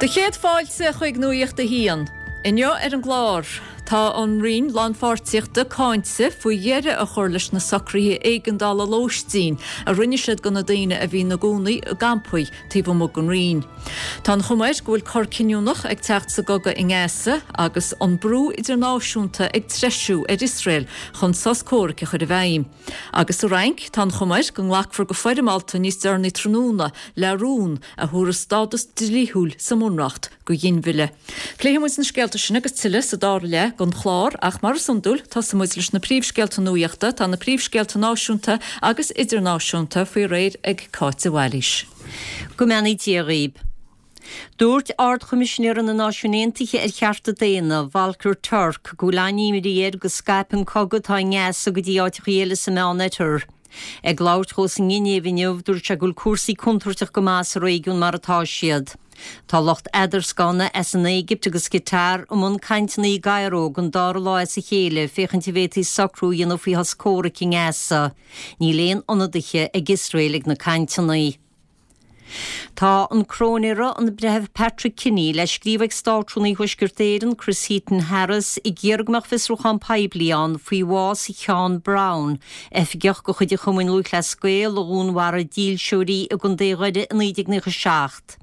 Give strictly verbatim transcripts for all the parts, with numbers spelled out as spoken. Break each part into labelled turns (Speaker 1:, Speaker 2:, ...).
Speaker 1: Do chéad fáilte chuig Nuacht a hAon. Inniu ar an gclár, tá an Roinn Lánpháirtíochta cáinte faoi dheireadh a chur leis na socruithe éigeandála lóistín a rinne siad do na daoine a bhí ina gcónaí i gcampaí taobh amuigh den Roinn. Tá an chuma air go bhfuil cor cinniúnach ag teacht sa gcogadh i nGaza agus an brú idirnáisiúnta ag treisiú ar Iosrael chun sos comhraic a chur i bhfeidhm. Agus sa Fhrainc tá an chuma air go nglacfar go foirmeálta níos deireanaí tráthnóna le rún a thabharfadh stádas dlíthiúil sa mBunreacht do ghinmhilleadh. Pléifidh muid na scéalta sin agus tuilleadh sa dara leath den chlár ach mar is iondúil tosóidh muid leis na príomhscéalta nuachta tá na príomhscéalta náisiúnta agus idirnáisiúnta faoi réir ag Cáit de Bhailís.
Speaker 2: Go mbeannaí Dia dhaoibh. Dúirt Ard-Choimisinéir na Náisiún Aontaithe ar Chearta Daonna, Volker Turk, go bhfuil an-imní air go scaipfidh an cogadh atá i nGaza go dtí áiteacha eile sa Meánoirthear. Ag labhairt dó sa nGinéiv inniu, dúirt sé go bhfuil cúrsaí contúirteach go maith sa réigiún mar atá siad. Tá lucht eadarscána as an Éigipt agus Catar i mbun cainteanna i gCairo don dara lá as a chéile féachaint an bhféadfaí socrú a dhéanamh faoi shos comhraic i nGaza. Níl aon ionadaithe ag Iosrael ag na cainteanna. Tá an cróinéara an Breitheamh Patrick Kinney le scríobh ag Státrúnaí Thuaisceart Éireann Chris Heaton Harris ag iarraidh go mbeadh fiosrúchán poiblí ann faoi bhás Sheán Brown, oifigeach de chuid an Chumainn Lúthchleas Gael a dhúnmharaigh dílseoirí i gContae Dhoire i naoi déag nócha seacht.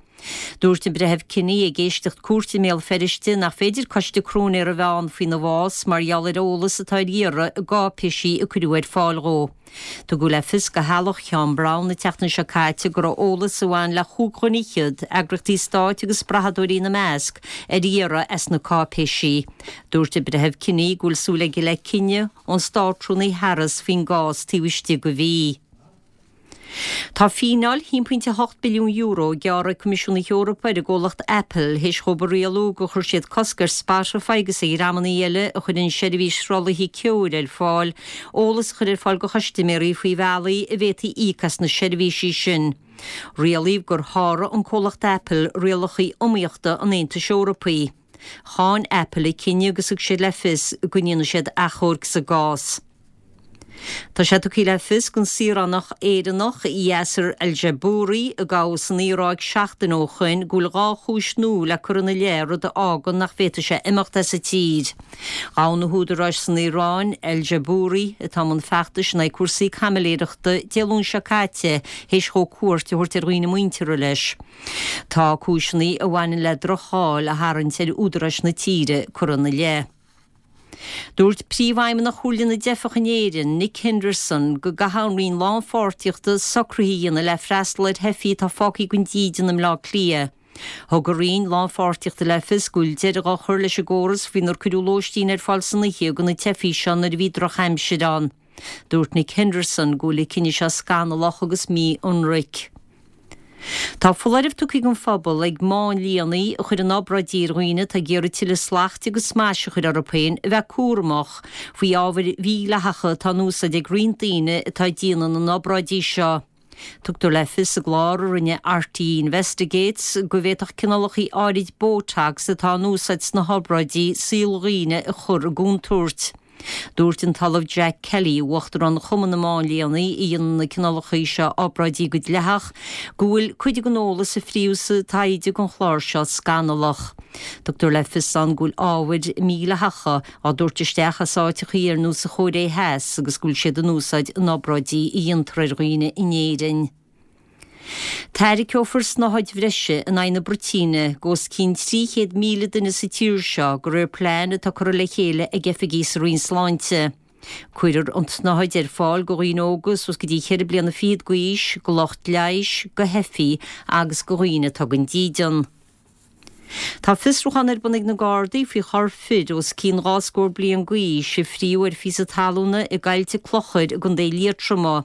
Speaker 2: Dúirt an Breitheamh Kinney ag éisteacht cúirte i mBéal Feirste nach féidir coiste cróinéara a bheith ann faoina bhás mar gheall ar eolas atá ar iarraidh i gcáipéisí a cuireadh ar fáil dhó. Tugadh le fios do theaghlach Sheán Brown an tseachtain seo caite go raibh eolas a bhain le chúig dhuine fhichead, eagraíochtaí stáit agus brathadóirí ina measc, ar iarraidh as na cáipéisí. Dúirt an Breitheamh Kinney go bhfuil súil aige le cinneadh ón Státrúnaí Harris faoin gcás taobh istigh de mhí. Tá fíneáil haon pointe hocht billiún euro gearrtha ag Coimisiún na hEorpa ar an gcomhlacht Apple théis dhóibh a rialú gur chuir siad cosc ar Spotify agus ar dhreamanna eile a chuireann seirbhís sruthlaithe ceoil ar fáil, eolas a chur ar fáil do chustaiméirí faoi bhealaí a bhféadfaí íoc as na seirbhísí sin. Rialaíodh gur sháraigh an comhlacht Apple rialacha iomaíochta an Aontais Eorpaigh. Cháin Apple an cinneadh agus thug siad le fios go ndéanfaidh siad achomharc sa gcás. Tá sé tugtha le fios don saoránach Éireannach Yasser Al-Jabouri a gabhadh san Iaráic seachtain ó shoin go bhfuil dhá chúis nua le cur ina leith rud a fhágann nach bhféadfaidh sé imeacht as an tír. Ghabh na húdaráis san Iaráin Al-Jabouri atá i mbun feachtais in aghaidh cúrsaí caimiléireachta Dé Luain seo caite théis dhó cuairt a thabhairt ar dhaoine muinteartha leis. Tá cúiseanna a bhaineann le droch-cháil a tharraingt ar údaráis na tíre curtha ina leith. Dúirt Príomhfheidhmeannach Chomhairle na dTeifeach in Éirinn, Nick Henderson, go gcaithfidh an Roinn Lánpháirtíochta socruithe a dhéanamh le freastal ar theifigh atá fágtha gan dídean i mBleá Cliath. Thug an Roinn Lánpháirtíochta le fios go bhfuil deireadh á chur leis an gcóras faoinar cuireadh lóistín ar fáil san oíche do na teifigh seo nuair a bhí drochaimsir ann. Dúirt Nick Henderson go bhfuil an cinneadh seo scannalach agus mí-ionraic. Tá foláireamh tugtha don phobal ag máinlianna a chuireann obráidí ar dhaoine atá ag iarraidh tuilleadh slachta agus smais a chur orthu féin a bheith cúramach faoi ábhair mhídhleathacha atá in úsáid ag roinnt daoine atá ag déanamh na n-obráidí seo. Tugtar le fios i gclár a rinne RTÉ Investigates go bhféadfadh cineálacha áirid Botox atá in úsáid sna hobráidí saol dhaoine a chur i gcontúirt. Dúirt an tOllamh Jack Kelly, Uachtarán Chumann na Máinlianna a dhéanann na cineálacha seo obráidí go dleathach, go bhfuil cuid den eolas a fríodh sa taighde don chlár seo scannalach. Tugtar le fios ann go bhfuil ábhair mhídhleathacha á dtabhairt isteach as áiteacha ar nós an Chóiré Theas agus go bhfuil siad in úsáid in obráidí a dhéantar ar dhaoine in Éirinn. Tairgeofar snáthaid bhreise in aghaidh na bruitíne d'os cionn trí chéad míle duine sa tír seo de réir plean atá curtha le chéile ag oifigigh sa Roinn Sláinte. Cuirfear an tsnáthaid ar fáil do dhaoine óga suas go dtí cheithre bliana fichead d'aois, do lucht leighis, do theifigh agus do dhaoine atá gan dídean. Tá fiosrúchán ar bun ag na Gardaí faoi chorp fir os cionn dhá scór bliain d'aois a fríodh ar phíosa talúna i gCaillte Clochair i gContae Liatroma.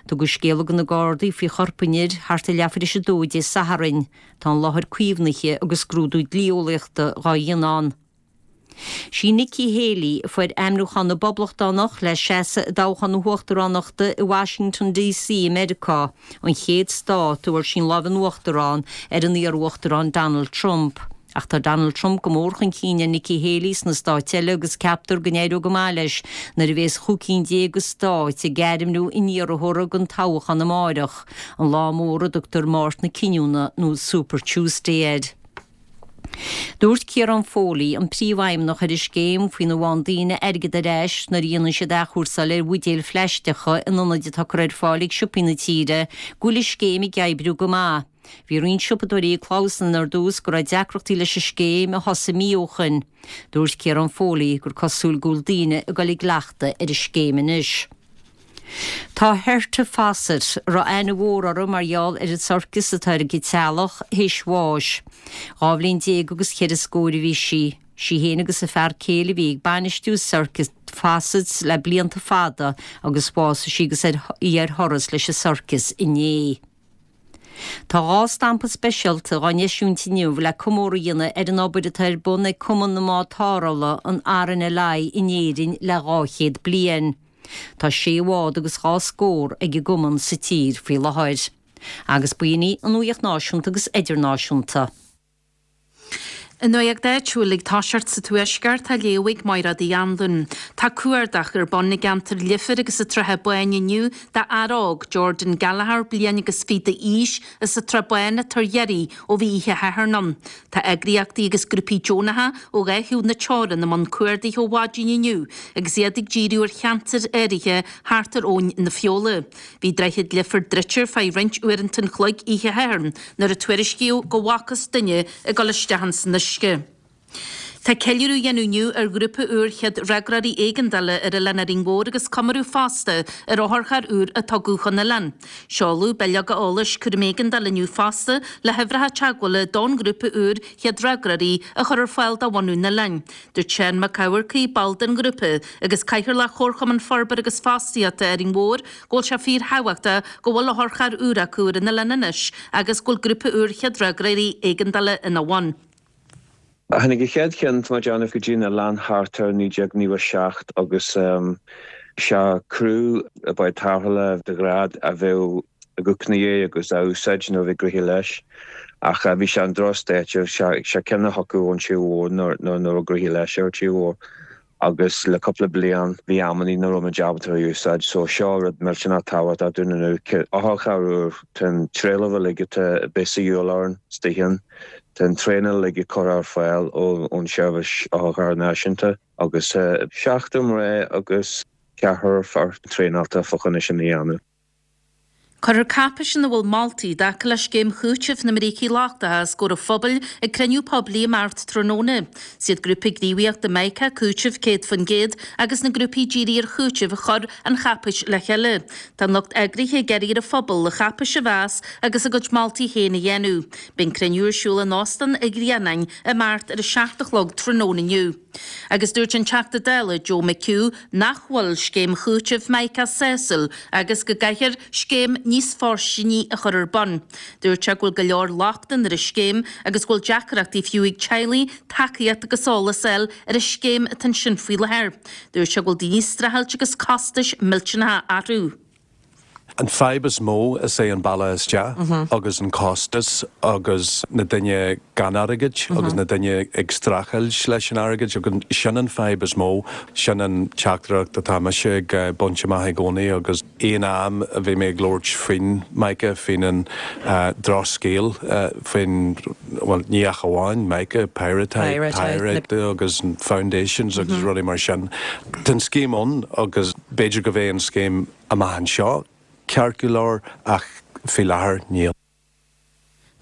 Speaker 2: Tugadh scéala do na Gardaí faoi chorp an fhir thart ar leathuair tar éis a dó Dé Sathairn. Tá an láthair caomhnaithe agus scrúdú dlí-eolaíochta dhá dhéanamh ann. Sí Nikki Haley a fuair ainmniúchán na bPoblachtánach le seasamh i dtoghchán na huachtaránachta i Washington DC i Meiriceá, an chéad stát a bhfuair sí an lámh in uachtar ann ar an iar-uachtarán Donald Trump. Ach tá Donald Trump go mór chun cinn ar Nikki Haley sna stáit eile agus ceaptar go n-éireoidh go maith leis nuair a bhéas chúig cinn déag de stáit ag ainmniú a n-iarrthóra don toghchán amáireach, an lá mór a dtugtar Máirt na Cinniúna nó Super Tuesday air. Dúirt Ciarán Foley, an príomhfheidhmeannach ar an scéim faoina bhfaigheann daoine airgead ar ais nuair a dhéanann siad athchúrsáil ar bhuidéil phlaisteacha in ionaid atá curtha ar fáil ag siopaí na tíre, go bhfuil an scéim ag oibriú go maith. Bhí roinnt siopadóirí ag clamhsán ar dtús go raibh deacrachtaí leis an scéim a thosaigh mí ó shin. Dúirt Ciarán Foley gur cosúil go bhfuil daoine ag dul i gcleachtadh ar an scéim anois. Tá Herta Fawcett, a raibh aithne mhór uirthi mar gheall ar an sorcas atá ar a cuid teaghlach, théis bháis. Dhá bhliain déag agus ceithre scór a bhí sí. Sí féin agus a fear céile a bhí ag bainistiú Circus Fawcetts le blianta fada agus bhásaigh sí agus í ar thuras leis an sorcas inné. Tá dhá stampa speisialta á n-eisiúint inniu le comóradh a dhéanamh ar an obair atá ar bun ag Cumann na mBád Tarrthála, an RNLI, in Éirinn le dhá chéad bliain. Tá sé bhád agus dhá scór ag an gcumann sa tír faoi láthair. Agus b'in í an nuacht náisiúnta agus idirnáisiúnta.
Speaker 3: An nuacht áitiúil ag toiseacht sa Tuaisceart á léamh ag Máire Uí Anluain. Tá cuardach ar bun i gceantar Leifir agus an tSratha Báin inniu d'fhear óg Jordan Gallagher bliain agus fiche d'aois as an tSrath Bán atá ar iarraidh ó bhí oíche Shathairn ann. Tá eagraíochtaí agus grúpaí deonacha ó dhá thaobh na teorann i mbun cuardaigh ó mhaidin inniu agus iad ag díriú ar cheantair áirithe thart ar Abhainn na Feola. Bhí Droichead Leifear druidte ar feadh roinnt uaireanta an chloig oíche Shathairn nuair a tuairiscíodh go bhfacthas duine ag dul isteach san uisce. Tá ceiliúradh á dhéanamh inniu ar ghrúpa úr chéad fhreagróirí éigeandála ar Oileán Árainn Mhór agus comóradh fosta ar otharcharr úr a tugadh chun oileáin. Seoladh bileoga eolais cúram éigeandála inniu fosta le huimhreacha teagmhála don ghrúpa úr chéad fhreagróirí a chur ar fáil do bhunadh an oileáin. Dúirt Seán Mac Eamharcaigh, ball den ghrúpa agus Cathaoirleach Chomharchumann Forbartha agus Fostaíochta Árainn Mhór, go bhfuil sé fíorthábhachtach go bhfuil otharcharr úr acu ar an oileán anois agus go bhfuil grúpa úr chéad fhreagróirí éigeandála ina bhun.
Speaker 4: Tháinig an chéad cheann tá déanamh go dtí an oileán thart ar naoi déag nócha seacht agus sé criú báid tarrthála de ghnáth a bheadh ag úcnaí agus á úsáid nuair a bhí gnoithe leis. Ach bhí sé an drochstáid sé ceann a thiocfadh ón tír mhór nuair nuair a gnoithe leis ar tír mhór. Agus le cúpla bliain bhí amannaí nach raibh muid ábalta a úsáid, so seo rud millteanach tábhachtach dúinn inniu. Otharcharr úr, tá an trealamh uilig atá bith sa dhiabhal orainn istigh ann. Tá an traenáil uilig curtha ar fáil ón seirbhís otharcharr náisiúnta agus seachtar mná agus ceathrar fear traenáilte fá choinne sin a dhéanamh.
Speaker 3: Cuirfear cáipéis ina bhfuil moltaí i dtaca le scéim chúitimh na mbrící lochtacha os comhair an phobail ag cruinniú poiblí amárach tráthnóna. Is iad grúpa gníomhaíochta Mica cúiteamh céad faoin gcéad agus na grúpaí dírithe ar chúiteamh a chuir an cháipéis le chéile. Tá an lucht eagraithe ag iarraidh ar an phobal an cháipéis a mheas agus a gcuid moltaí féin a dhéanamh. Beidh an cruinniú ar siúl in Óstán an Ghrianáin amárach ar a seacht a chlog tráthnóna inniu. Agus dúirt an Teachta Dála Joe McHugh nach bhfuil scéim chúitimh Mica sásúil agus go gcaithfear scéim níos fóirsteanaí a chur ar bun. Dúirt sé go bhfuil go leor lochtanna ar an scéim agus go bhfuil deacrachtaí fiú ag teaghlaigh tacaíocht agus eolas a fháil ar an scéim atá ansin faoi láthair. Dúirt sé go bhfuil daoine streachailt agus costais millteanacha orthu.
Speaker 5: An fadhb is mó is é an bealach isteach agus an costas agus na daoine gan airgead agus na daoine ag streachailt leis an airgead agus sin an fadhb is mó sin an teachtaireacht atá mise ag baint amach i gcónaí agus aon am a bhí mé ag labhairt faoin Mica faoin an drochscéal faoin well ní ach amháin Mica Pirate Pirate agus foundations agus rudaí mar sin. Tá an scéim ann agus b'fhéidir go bheidh an scéim amach anseo ceart go leor ach faoi láthair níl.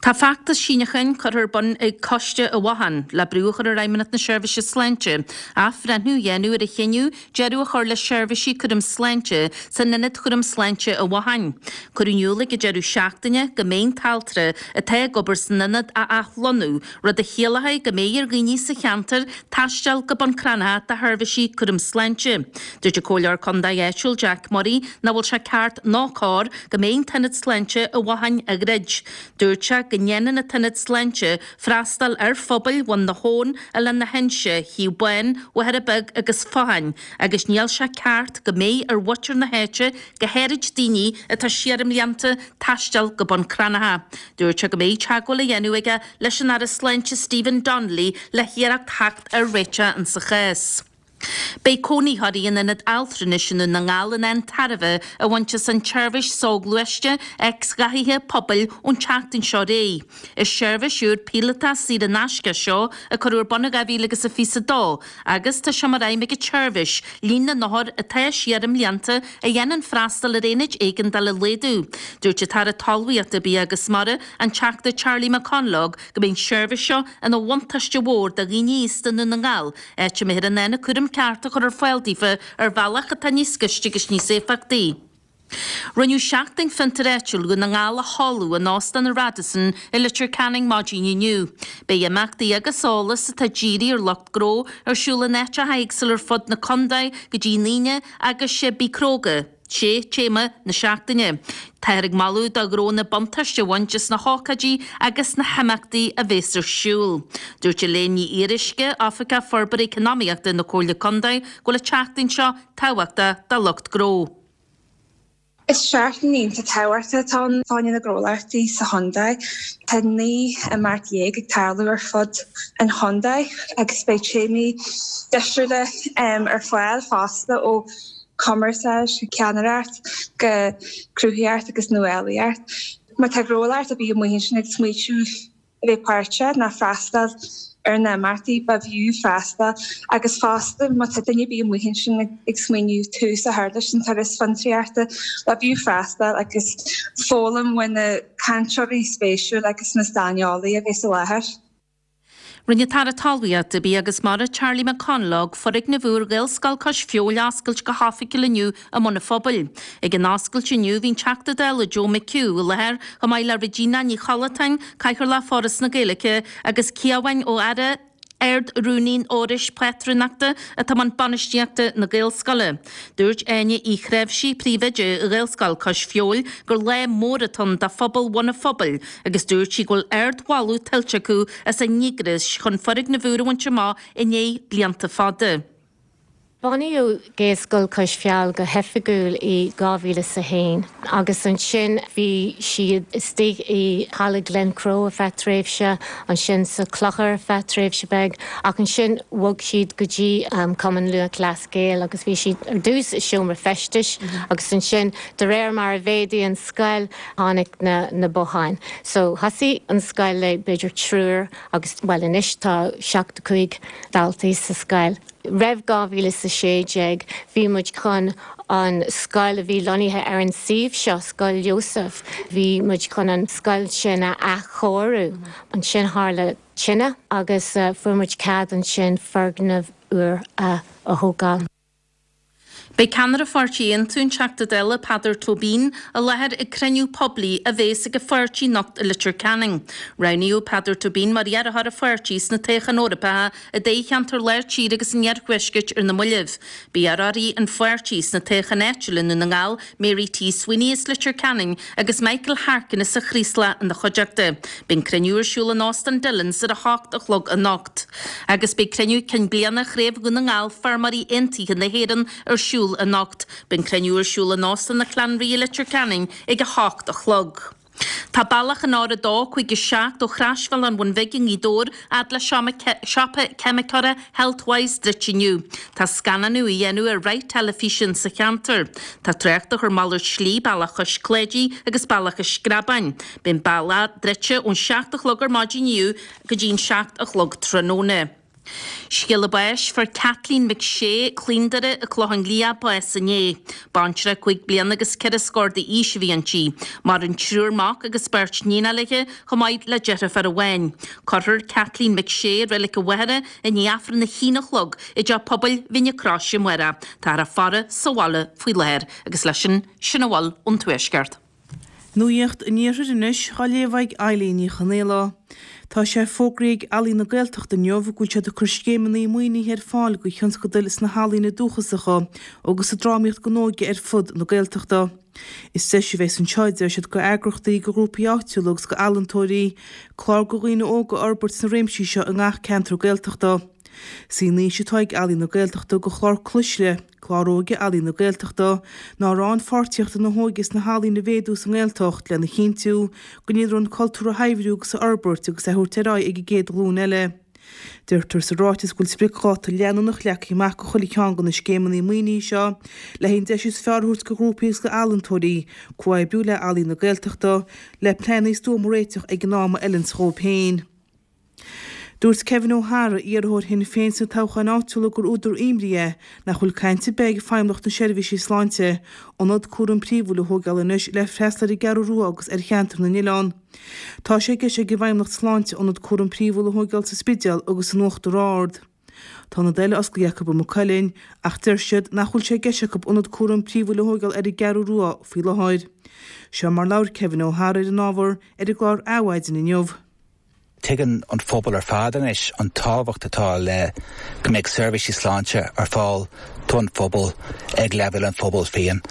Speaker 3: Tá feachtas síneacháin curtha ar bun ag Coiste an Bhotháin le brú a chur ar Fheidhmeannacht na Seirbhíse Sláinte, athbhreithniú a dhéanamh ar a chinneadh deireadh a chur le seirbhísí cúram sláinte san ionad chúram sláinte an Bhotháin. Cuireadh in iúl ag an deireadh seachtaine go mbeidh an t-altra atá ag obair san ionad á athlonnú, rud a chiallóidh go mbeidh ar dhaoine sa cheantar taisteal go Bun Cranncha do sheirbhísí cúram sláinte. Dúirt an Comhairleoir Contae áitiúil Jack Murray nach bhfuil sé ceart ná cóir go mbeidh an t-ionad sláinte an Bhotháin á dhruid. Dúirt sé go ndéanann an t-ionad sláinte freastal ar phobail Bhun na hAbhann, Oileán na hInse, Shliabh Bán, Mhachaire Beag agus Fatháin, agus níl sé ceart go mbeidh ar mhuintir na háite, go háirid daoine atá siar i mblianta, taisteal go Bun Cranncha. Dúirt sé go mbeidh teagmháil á dhéanamh aige leis an Aire Sláinte Stephen Donnelly le hiarracht theacht ar réiteach insa chás. Beidh cónaitheoirí in ionad altranais i nDún na nGall in ann tairbhe a bhaint as an tseirbhís soghluaiste X-ghathaithe pobail ón tseachtain seo ar aghaidh. Is seirbhís úr píolótach saor in aisce seo a cuireadh ar bun in dhá mhíle agus a fiche a dó agus tá sé mar aidhm ag an tseirbhís líon na n-othar atá siar i mblianta a dhéanann freastal ar aonaid éigeandála a laghdú. Dúirt an tAire Talmhaíochta, Bia agus Mara, an Teachta Charlie McConalogue, go mbeidh an tseirbhís seo ina bhuntáiste mhór do dhaoine aosta i nDún na nGall, áit a mbeifear in ann an cúram ceart a chur ar fáil daofa ar bhealach atá níos gaiste agus níos éifeachtaí. Rinneadh Seachtain Fiontair Áitiúil Dhún na nGall a sheoladh in Óstán an Radisson i Leitir Ceanainn maidin inniu. Beidh imeachtaí agus eolas atá dírithe ar lucht gnó ar siúl in áiteacha éagsúla ar fud na contae go dtí an Aoine agus sé Bí Cróga, sé téama na seachtaine. Táthar ag moladh do ghnónna buntáiste a bhaint as na hócáidí agus na himeachtaí a bheas ar siúl. Dúirt Elaine Ní Fhíoruisce, Oifigeach Forbartha Eacnamaíochta na Comhairle Contae, go bhfuil an tseachtain seo tábhachtach do lucht gnó.
Speaker 6: Is seachtain iontach tábhachtach atá ann fá choinne na gnólachtaí sa chontae. Tá naoi imeacht dhéag ag tarlú ar fud an chontae agus beidh téamaí difriúla ar fáil fosta ó chumarsáid, ceannaireacht go cruthaitheacht agus nuálaíocht. Má tá gnólacht ar bith amuigh ansin ag smaoitiú a bheith páirteach ná freastal ar na himeachtaí, ba bhfiú freastal agus fosta má tá duine ar bith amuigh ansin ag smaoineamh tús a chur leis an turas fiontraíochta, ba bhfiú freastal agus foghlaim ó na cainteoirí spéisiúla agus na saineolaithe a bheas i láthair.
Speaker 3: Rinne an tAire Talmhaíochta, Bia agus Mara Charlie McConalogue foirgneamh úr Ghaelscoil Cois Feabhail a oscailt go hoifigiúil inniu i mBun an Phobail. Ag an oscailt inniu bhí an Teachta Dála Joe McHugh i láthair chomh maith le Regina Ní Chollatáin, Cathaoirleach Foras na Gaeilge, agus Ciabháin Ó Eadhra, Ard-Rúnaí an Fhorais Pátrúnachta atá i mbun bainistíochta na Gaelscoile. Dúirt Áine Uí Chnáimhsí, Príomhoide Ghaelscoil Cois Feabhail, gur lá mór atá ann do phobal Bhun an Phobail agus dúirt sí go bhfuil ardmholadh tuillte acu as a ndíograis chun foirgneamh úr a bhaint amach i ndiaidh blianta fada.
Speaker 7: Bunaíodh Gaelscoil Cois Feabhail go hoifigiúil i dhá mhíle is a haon agus ansin bhí siad istigh i Halla Glencroe ar feadh tréimhse, ansin sa Clochar ar feadh tréimhse beag ach ansin bhog siad go dtí Cumann Lúthchleas Gael agus bhí siad ar dtús i seomra feistis agus ansin de réir mar a mhéadaigh an scoil tháinig na na botháin. So thosaigh an scoil le b'fhéidir triúr agus bhuel anois tá seachtó cúig daltaí sa scoil. Roimh dhá mhíle is a sé déag bhí muid chun an scoil a bhí lonnaithe ar an suíomh seo, Scoil Joseph, bhí muid chun an scoil sin a athchóiriú. Ansin tharla tine agus fuair muid cead ansin foirgneamh úr a thógáil.
Speaker 3: Beidh ceannaire Pháirtí Aontú, an Teachta Dála Peadar Tóibín, i láthair ag cruinniú poiblí a bheas ag an pháirtí anocht i Leitir Ceanainn. Roghnaíodh Peadar Tóibín mar iarrthóir an pháirtí sna toghcháin Eorpacha i dtoghcheantar Lár Tíre agus an Iarthuaiscirt ar na moillibh. Beidh iarrthóirí an pháirtí sna toghcháin áitiúla i nDún na nGall, Mary T Sweeney as Leitir Ceanainn agus Michael Harkin as an Chraoslach ina chuideachta. Beidh an cruinniú ar siúl in Óstán Dillons ar a hocht a chlog anocht. Agus beidh cruinniú cinn bliana Chraobh Dhún na nGall Feirmeoirí Aontaithe na hÉireann ar siúl anocht. Beidh an cruinniú ar siúl in Óstán an Chlann Rí i Leitir Ceanainn ag a hocht a chlog. Tá bealach an R a dó, cúig a seacht ó Chroisbhealach an Bhun Bhig i nGaoth Dobhair fhad le siopa ceimiceora Healthwise druidte inniu. Tá scannánú á dhéanamh ar shraith teilifíse sa cheantar. Tá trácht á chur malairt slí bealach Chois Cláidí agus bealach an Screabáin. Beidh an bealach druidte ón seacht a chlog ar maidin inniu go dtí an seacht a chlog tráthnóna. Scéala báis, Fuair Kathleen McShea, Cluain Doire, an Clochán Liath, bás inné. Baintreach cúig bliana agus ceithre scór d'aois a bhí inti. Maireann triúr mac agus beirt níonacha léi, chomh maith le deirfiúr amháin. Cuirfear Kathleen McShea i reilig a mháthara i ndiaidh Aifreann a haon a chlog i dteach pobail Mhín na Croise amárach. Táthar á faire sa bhaile faoi láthair agus leis sin, sin a bhfuil ón Tuaisceart.
Speaker 8: Nuacht an Iarthair anois á léamh ag Eilín Ní Chonaola. Tá sé fógraithe ag Ealaín na Gaeltachta inniu go bhfuil siad ag cur scéimeanna maoinithe ar fáil do thionscadail sna healaíona dúchasacha agus sa drámaíocht don óige ar fud na Gaeltachta. Is deis a bheas anseo, a deir siad, do eagraíochtaí, do ghrúpaí áitiúla agus do ealaíontóirí, clár do dhaoine óga a fhorbairt sna réimsí seo i ngach ceantar Gaeltachta. Is í an fhís atá ag Ealaín na Gaeltachta do chlár Cuisle, Clár Óige Ealaíon na Gaeltachta, ná rannpháirtíocht na hóige sna healaíona a mhéadú sa nGaeltacht lena chinntiú go ndéanfar an cultúr a shaibhriú agus a fhorbairt agus é a thabhairt ar aghaidh ag an gcéad ghlúin eile. Deirtear sa ráiteas go bhfuil spriocdháta leanúnach leagtha amach do chuile cheann de na scéimeanna maoinithe seo le an deis is fearr a thabhairt do ghrúpaí agus d'ealaíontóirí comhoibriú le Ealaín na Gaeltachta le pleananna stuama a réiteach ag an am a fheileanns dhóibh féin. Dúirt Kevin O'Hara, iarrthóir Shinn Féin sna toghcháin áitiúla gur údar imní é nach bhfuil caint ar bith ag Feidhmeannacht na Seirbhíse Sláinte ionad cúraim príomhúil a thógáil anois le freastal ar an gCeathrú Rua agus ar cheantar na nOileán. Tá sé i gceist ag an bhFeidhmeannacht Sláinte ionad cúraim príomhúil a thógáil sa Spidéal agus in Uachtar Ard. Tá ionad eile osclaithe acu i Maigh Cuilinn ach deir siad nach bhfuil sé i gceist acu ionad cúraim príomhúil a thógáil ar an gCeathrú Rua faoi láthair. Seo mar labhair Kevin O'Hara ar an ábhar ar an gclár Adhmhaidin inniu.
Speaker 9: Tuigeann an phobal ar fad anois an tábhacht atá le go mbeidh seirbhísí sláinte ar fáil don phobal ag leibhéal an phobail féin.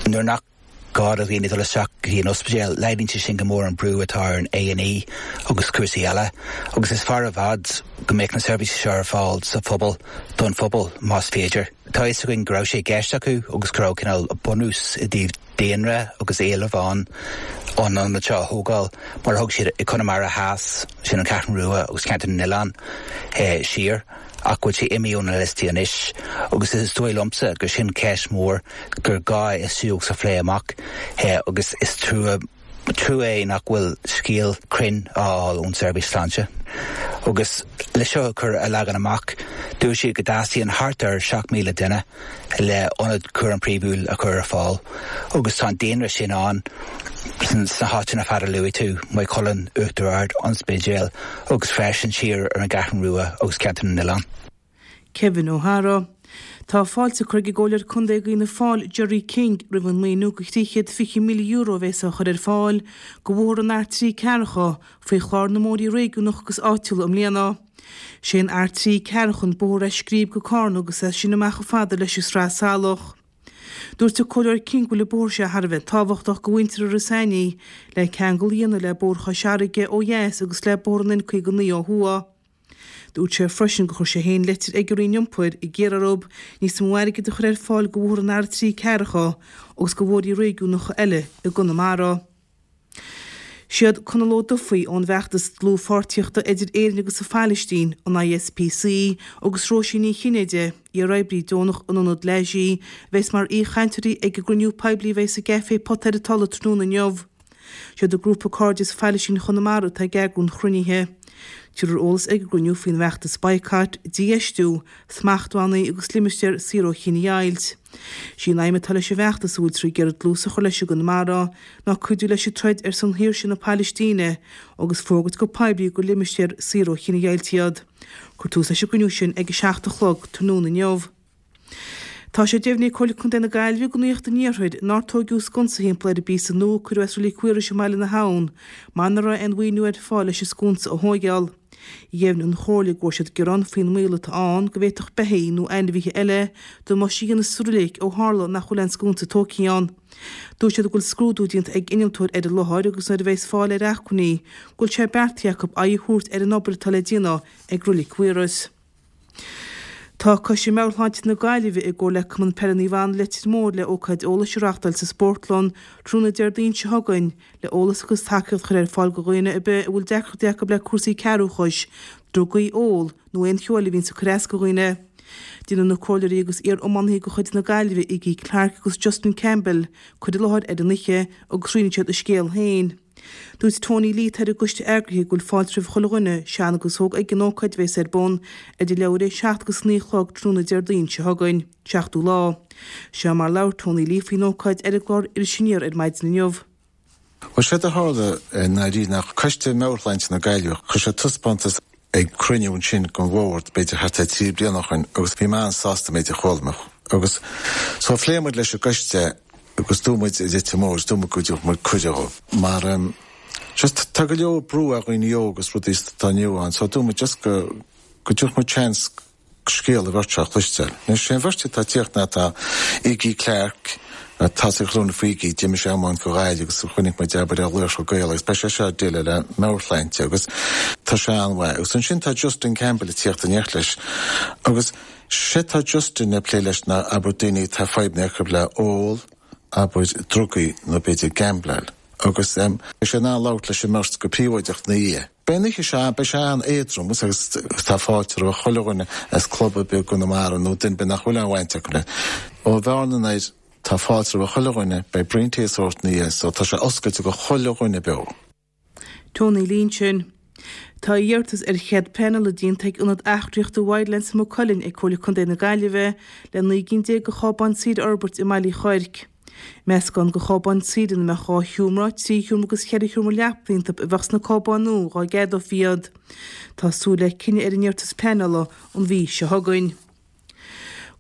Speaker 9: Nuair nach gá do dhaoine dul isteach go dtí an ospidéal, laghdaíonn sé sin go mór an brú atá ar an A and E agus cúrsaí eile, agus is fearr i bhfad go mbeidh na seirbhísí seo ar fáil sa phobal don phobal más féidir. Tá fhios againn go raibh sé i gceist acu agus go raibh cineál bunús i dtaobh daonra agus éileamh ann an ionad seo a thógáil mar a thug siad i Conamara Theas sin an Cheathrú Rua agus ceantar na nOileán eh, siar ach go bhfuil sé imithe ó na liostaí anois agus is dóigh liomsa gur sin ceist mór gur gá is sa phlé amach eh, agus is trua trua é nach bhfuil scéal cruinn á fháil ón seirbhís sláinte. Agus le seo chur a leagan amach dúirt siad go dteastaíonn thart ar seacht míle duine le ionad cúram príomhúil a chur ar fáil, agus tá an daonra sin ann sna háiteanna fad a luaigh tú Maigh Cuilinn Uachtar Ard an Spidéal agus freisin siar ar an gCeathrú Rua agus ceantar na nOileán.
Speaker 8: Kevin O'Hara. Tá fáilte curtha ag an gComhairleoir Contae d'Fhianna Fáil Gerry King roimh an maoiniú de thrí chéad fiche míle euro a bheas á chur ar fáil do bhóthar an R trí Ceathracha faoi chlár na mbóithre réigiúnach agus áitiúla i mbliana. Sé an R trí Ceathracha an bóthar as Scríb go Carna agus as sin amach chomh fada leis an Sraith Salach. Dúirt an Comhairleoir King go bhfuil an bóthar seo thar a bheith tábhachtach do mhuintir Iorras Aithneach le ceangal a dhéanamh le Bóthar Chois Fharraige ó dheas agus le Bóthar an N caoga naoi ó thuaidh. Dúirt sé freisin gur chuir sé féin litir ag an Roinn Iompair ag iarraidh orthu níos mó airgid a chur ar fáil do bhóthar an R trí Ceathracha agus do bhóithre réigiúnacha eile i gConamara. Siad Conall Ó Dufaigh ón bhfeachtas dlúthpháirtíochta idir Éirinn agus an Phalaistín, an I S P C, agus Róisín Ní Chinnéide, iar-oibrí deonach in ionad Lajee, bheas mar aoichainteoirí ag an gcruinniú poiblí bheas i gCafé Pota ar an Tulaigh tráthnóna inniu. Siad an grúpa Cairdeas Phalaistín Chonamara atá ag eagrú an chruinnithe. Tabharfar eolas ag an gcruinniú faoin bhfeachtas boycott, dífheistiú, smachtbhannaí agus limistéar saor ó chinedheighilt. Sí an aidhm atá leis an bhfeachtas a bhfuil tar iarraidh dlús a chur leis i gConamara ná cuidiú leis an troid ar son shaoirse na Palaistíne agus fógairt go poiblí gur limistéar saor ó chinedheighilt iad. Cuirfear tús leis an gcruinniú sin ag a seacht a chlog tráthnóna inniu. Tá sé deimhnithe ag Comhairle Contae na Gaillimhe do Nuacht an Iarthair nár tógadh sconsa thimpeall ar an bpíosa nua a cuireadh as Reilig Mhaorais i mBaile na hAbhann, mar nach raibh aon mhaoiniú ar fáil leis an sconsa a thógáil. Dheimhnigh an Chomhairle go bhfuair siad gearán faoin mbaol atá ann go bhféadfadh beithígh nó ainmhithe eile damáiste a dhéanamh sa reilig ó tharla nach bhfuil aon sconsa tógtha ann. Dúirt siad go bhfuil scrúdú déanta ag innealtóir ar an láthair agus nuair a bheas fáil ar acmhainní go bhfuil sé beartaithe acu aghaidh a thabhairt ar an obair atá le déanamh ag Reilig Mhaorais. Tá Coiste Meabhairshláinte na Gaillimhe i gcomhar le Cumann Peile Naomh Anna Leitir Móir le ócáid eolais a reáchtáil sa Spórtlann tráthnóna Déardaoin seo chugainn le eolas agus tacaíocht a chur ar fáil do dhaoine ar bith a bhfuil deacrachtaí acu le cúrsaí cearrbhachais, drugaí, ól nó aon cheo eile a bhíonn ag cur as do dhaoine. Déanfaidh na comhairleoirí agus iar-iománaithe de chuid na Gaillimhe Iggy Clarke agus Justin Campbell cur i láthair ar an oíche agus roinnfidh siad a scéal féin. Dúirt Tony Lee ar an gcoiste eagraithe go bhfuil fáilte roimh chuile dhuine sean agus óg ag an ócáid bheas ar bun idir leathuair tar éis seacht agus naoi a chlog tráthnóna Déardaoin seo chugainn, seachtú lá. Seo mar labhair Tony Lee faoin ócáid ar an gclár Iris Aniar ar maidin inniu.
Speaker 10: Well sé a tharla ná nach Coiste Meabhairshláinte na Gaillimhe chuir sé taispeántas ag cruinniú ansin den bhord b'fhéidir thart ar trí bliana ó shin agus bhí mé an-sásta méid a chuala agus so phléigh muid leis an gcoiste agus dúirt muid i Leitir Móir dúirt muid go muid cuireadh mar um, just tá go leor brú ar dhaoine óga agus rudaí atá inniu ann so dúirt muid just go go dtabharfadh muid chance scéal a bheirt a chloisteáil. Anois sé an bheirt atá ag tíocht ná tá Iggy Clarke tá sé chlúna faoí d'imigh sé amach go Gaillimh agus chonaic muid abair ar Laochra Gael agus beidh sé seo ag déileáil le meabhairshláinte agus tá sé an-mhaith. Agus ansin tá Justin Campbell ag tíocht in éineacht leis. Agus sé tá Justin ag plé leis ná abair daoine tá fadhbanna acu le ól, abair drugaí nó b'fhéidir gambláil. Agus beidh sé in ann labhairt leis an mbeirt go príobháideach ina dhiaidh. Beidh an oíche seo, beidh sé an-éadrom agus tá fáilte roimh chuile dhuine as club ar bith i gConamara nó duine ar bith nach bhfuil aon bhaint acu le. Ó Bhearna anoir, tá fáilte roimh chuile dhuine, beidh braon tae á thabhairt ina dhiaidh so tá sé oscailte go chuile dhuine beo.
Speaker 8: Tony Lynch. Tá iarratas ar chead pleanála déanta ag Ionad Eachtraíochta Wildlands i Maigh Cuilinn ag Comhairle Contae na Gaillimhe le naoi gcinn déag de chábáin saoire a fhorbairt i mBaile Uí Chuirc. Meascán de chábáin saoire ina mbeadh dhá sheomra, trí sheomra agus ceithre sheomra leapa iontu a bheadh sna cábáin nua dá gceadófaí iad. Tá súil le cinneadh ar an iarratas pleanála an mhí seo chugainn.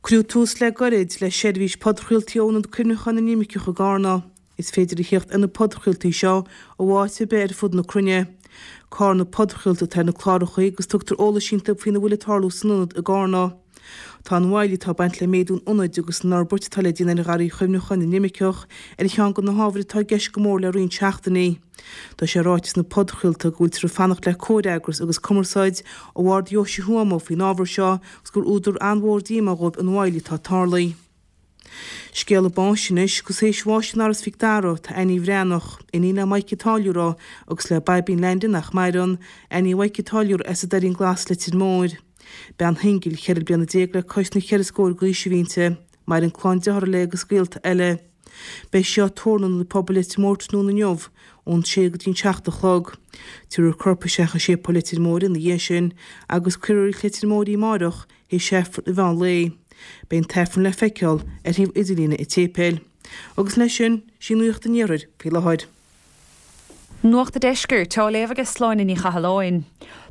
Speaker 8: Cuireadh tús le gairid le seirbhís podchraoltaí ó Ionad Cuimhneacháin na nImirceach i gCarna. Is féidir a theacht ar na podchraoltaí seo ó áit ar bith ar fud na cruinne. Carna Podchraolta atá ar na cláracha agus tugtar eolas iontu faoina bhfuil ag tarlú san ionad i gCarna. Tá an mhoill atá ag baint le méadú an ionaid agus an fhorbairt atá le déanamh ar Gharraí Chuimhneacháin na nImirceach ar cheann de na hábhair atá i gceist go mór le roinnt seachtainí. Tá sé ráite sna podchraolta go bhfuiltear ag fanacht le comhfhreagras agus cumarsáid ó Bhord Dheoise Thuama faoin ábhar seo agus gur údar an-mhór díomá dhóibh an mhoill atá tarlaithe. Scéala báis anois, agus théis bháis in Áras Mhic Dara tá Annie Bhreathnach, iníon le Mike an Táilliúra agus le Baibín Landon nach maireann, Annie Mhaidhc an Táilliúra as an Doirín Glas, Leitir Móir. Bean shingil, ceithre bliana déag le cois na ceithre scór d'aois a bhí inti. Maireann clann dearthár léi agus gaolta eile. Beidh sí á tórramh in Ionad Pobail Leitir Móir tráthnóna inniu, ón sé go dtí an seacht a chlog. Tabharfar a corp isteach i Séipéal Leitir Móir ina dhiaidh sin agus cuirfear i Reilig Leitir Móir í amáireach théis Aifreann an mheán lae. Beidh an tAifreann le feiceáil ar shuíomh idirlíne an tséipéil. Agus leis sin, sí Nuacht an Iarthair faoi láthair.
Speaker 11: Nuacht an Deiscirt á léamh ag Sláine Ní Chathalláin.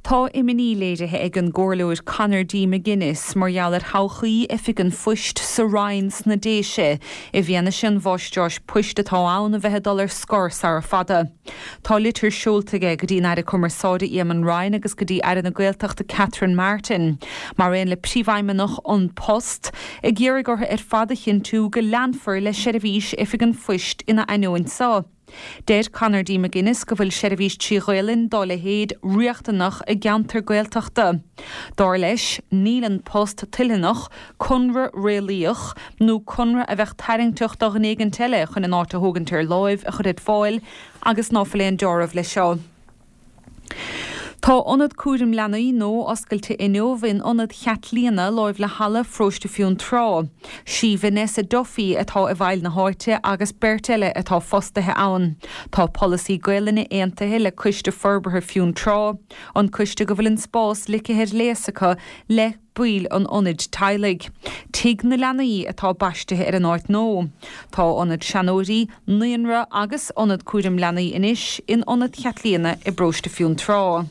Speaker 11: Tá imní léirithe ag an gComhairleoir Conor D. McGuinness mar gheall ar thodhchaí Oifig an Phoist sa Rinn sna Déise i bhfianaise an mháistreás poist atá ann a bheith ag dul ar scor sara fada. Tá litir seolta aige go dtí an Aire Cumarsáide Eamon Ryan agus go dtí Aire na Gaeltachta Catherine Martin, mar aon le Príomhfheidhmeannach An Post, ag iarraidh orthu ar fad a chinntiú go leanfar le seirbhís Oifig an Phoist ina ainneoin seo. Deir Conor D. McGuinness go bhfuil seirbhís trí Ghaelainn dá leithéid riachtanach i gceantar Gaeltachta. Dar leis, níl An Post toilteanach conradh réalaíoch nó conradh a bheadh tarraingteach do dhuine éigint eile chun an áit a thógaint ar láimh a chur ar fáil agus ná fuil aon deáramh leis seo. Tá Ionad Cúraim Leanaí nua oscailte inniu in Ionad Chaitlíona láimh le Halla Pharóiste Fionntrá. Sí Vanessa Duffy atá i bhfeighil na háite agus beirt eile atá fostaithe ann. Tá polasaí Gaelainne aontaithe le Coiste Forbartha Fionntrá, an coiste go bhfuil an spás ligthe ar léas acu le baill an ionaid teaghlaigh. Tigh na Leanaí atá baistithe ar an áit nua. Tá ionad seanóirí, naíonra agus ionad cúraim leanaí anois in Ionad Chaitlíona i bparóiste Fionntrá.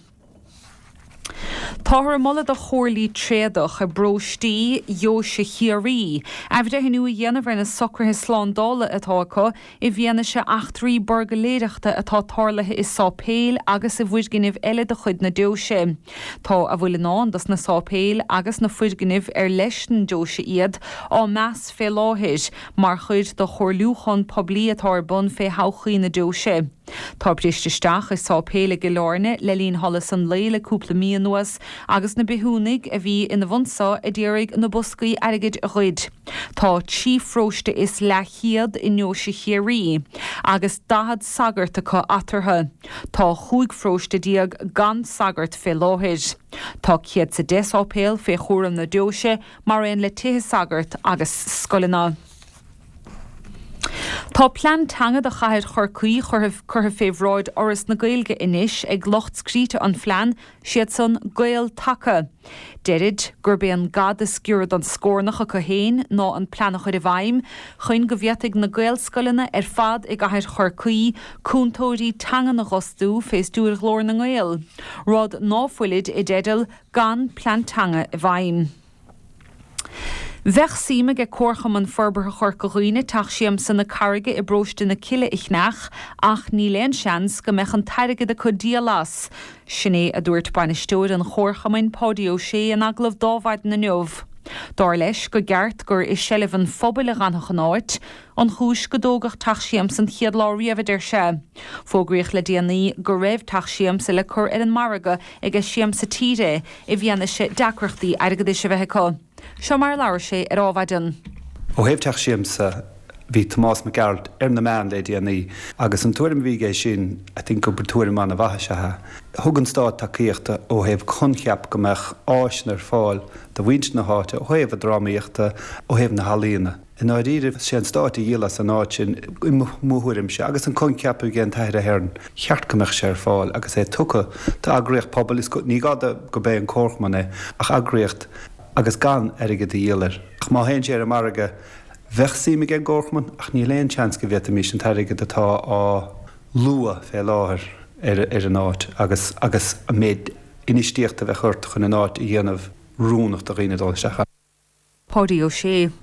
Speaker 11: Táthar ag moladh do chomhairlí tréadach i bparóistí Dheoise Chiarraí athbhreithniú a dhéanamh ar na socruithe slándála atá acu i bhfianaise eachtraí buirgléireachta atá tarlaithe i sáipéil agus i bhfoirgnimh eile de chuid na deoise. Tá a bhfuil i ndán dos na sáipéil agus na foirgnimh ar leis an deoise iad á meas fé láthair mar chuid de chomhairliúchán poiblí atá ar bun fé thodhchaí na deoise. Tá briste isteach i sáipéal i gCill Airne le linn sholas an lae le cúpla mí anuas agus na bithiúnaigh a bhí ina bhun so a d'iarraidh na boscaí airgid a ghoid. Tá trí pharóiste is leathchéad i nDeoise Chiarraí agus daichead sagart acu eatarthu. Tá chúig pharóiste déag gan sagart fé láthair. Tá céad 's a deich sáipéal fé chúram na deoise mar aon le tithe sagart agus scoileanna. Tá plean teanga do chathair Chorcaí curtha fé bhráid Fhoras na Gaeilge anois ag lucht scríte an phlean, siad san Gael Taca. Deirid gurb é an gad is giorra don scornach acu féin ná an plean a chur i bhfeidhm chun go bhféadfaidh na Gaelscoileanna ar fad i gcathair Chorcaí cúntóirí teangan a dh'fhostú fé stiúir Ghlór na nGael, rud ná fuilid i dteideal gan plean teanga i bhfeidhm. Bheadh suim aige Comharchumann Forbartha Chorca Dhuibhne Teach Siamsa na Carraige i bparóiste na Cille a cheannach ach níl aon seans go mbeadh an t-airgead acu díol as. Sin é a dúirt bainisteoir an Chomharchumainn, Páidí Ó Sé in agallamh d'Adhmhaidin inniu. Dar leis go gceart gur i seilbh an phobail a dh'fhanfadh an áit, an chúis go dtógadh Teach Siamsa an chéad lá riamh, a deir sé. Fógraíodh le déanaí go raibh Teach Siamsa le cur ar an margadh aige Siamsa Tíre i bhfianaise deacrachtaí airgeadais a bheith acu. Seo mar a labhair sé ar Adhmhaidin.
Speaker 12: Ó thaobh Teach Siamsa, Bhí Tomás Mac Gearailt ar na meáin le déanaí agus an tuairim a bhí aige sin I think gur tuairim an-mhaith is ea é. Thug an stát tacaíochta ó thaobh coincheap go mbeadh áiseanna ar fáil do mhuintir na háite ó thaobh a drámaíochta, ó thaobh na healaíona. I ndáiríre sé an stát a dhíol as an áit sin i mo thuairimse agus an coincheap a bhí ag an tAthair Ahern cheart go mbeadh sé ar fáil agus é tugtha d'eagraíocht pobail is ní gá go b'é an Comharchumann é ach eagraíocht agus gan airgead a dhíol air. Ach má théann sé ar an margadh Bheadh suim ag an gComharchumann ach níl aon seans go bhféadfaimis an t-airgead atá á lua fé láthair ar ar an áit agus agus an méid infheistíochta a bheadh ort chun an áit a dhéanamh oiriúnach do dhaoine dul isteach ann.
Speaker 11: Páidí Ó Sé.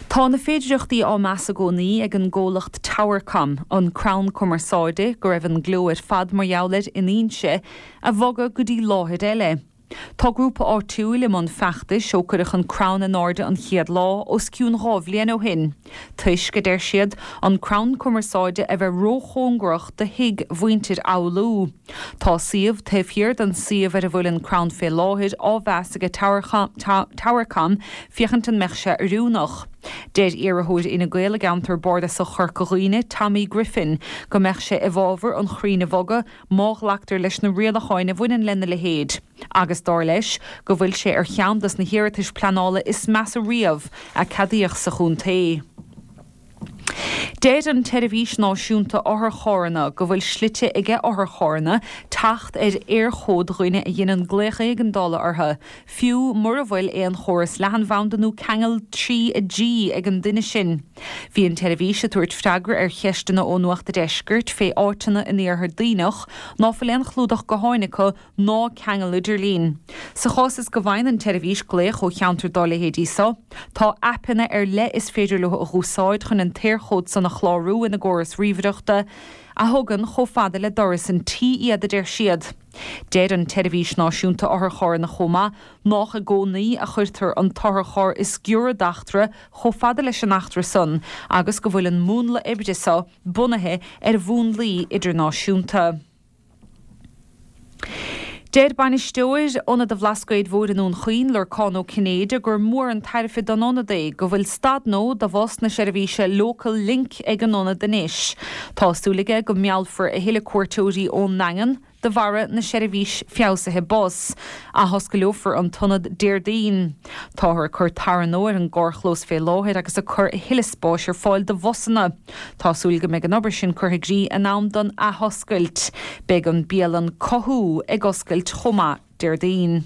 Speaker 11: Tá na féidireachtaí á meas i gcónaí ag an gcomhlacht Towercom, an crann cumarsáide go raibh an gleo ar fad mar gheall air in Inse, a bhogadh go dtí láthair eile. Tá grúpa áitiúil i mbun feachtais ó cuireadh an crann in airde an chéad lá os cionn dhá bhliain ó shin, toisc, a deir siad, an crann cumarsáide a bheith róchóngarach do thigh mhuintir Fhoghlú. Tá suíomh taobh thiar den suíomh ar a bhfuil an crann fé láthair á mheas ag Towercom féachaint an mbeadh sé oiriúnach. Deir iarrthóir Fhine Gael i gceantar bardasach Chorca Dhuibhne, Tommy Griffin, go mbeadh sé i bhfabhar an chrainn a bhogadh má ghlactar leis na rialacháin a bhaineann lena leithéid, agus dar leis go bhfuil sé ar cheann dos na hiarratais pleanála is measa riamh a ceadaíodh sa chontae. Deir an tSeirbhís Náisiúnta Otharcharranna go bhfuil slite aige otharcharranna teacht ar Éirchód dhuine a dheineann glaoch éigeandála orthu, fiú mura bhfuil aon chóras leathanbhanda nó ceangal trí G ag an duine sin. Bhí an tseirbhís ag tabhairt freagra ar cheisteanna ó Nuacht a' Deiscirt fé áiteanna in iarthar Duibhneach ná fuil aon chlúdach gutháin acu ná ceangal idirlín. Sa chás is go bhfaigheann an tseirbhís glaoch ó cheantar dá leithéidí so, tá aipeanna ar leith is féidir leo a dh'úsáid chun an t-Éirchód san a chlárú ina gcóras ríomhaireachta, a thugann chomh fada le doras an tí iad, a deir siad. Deir an tSeirbhís Náisiúnta Otharcharranna chomh maith nách i gcónaí a chuirtear an t-otharcharr is giorra d'eachtra chomh fada leis an eachtra san agus go bhfuil an múnla oibre so bunaithe ar mhúnlaí idirnáisiúnta. Deir bainisteoir Ionad an Bhlascaoid Mhóir i nDún Chaoin, Lorcán Ó Cinnéide, gur mór an tairbhe don ionad é go bhfuil stad nua do bhus na seirbhíse Local Link ag an ionad anois. Tá súil aige go meallfar a thuilleadh cuairteoirí ón nDaingean de bharra na seirbhís feabhsaithe bus. Athoscaileofar an t-ionad Déardaoin. Táthar ag cur tarra nua ar an gcarrchlós fé láthair agus ag cur a thuilleadh spáis ar fáil do bhusanna. Tá súil go mbeidh an obair sin curtha i gcrích in am don athoscailt. Beidh an bialann Cothú ag oscailt chomh maith Déardaoin.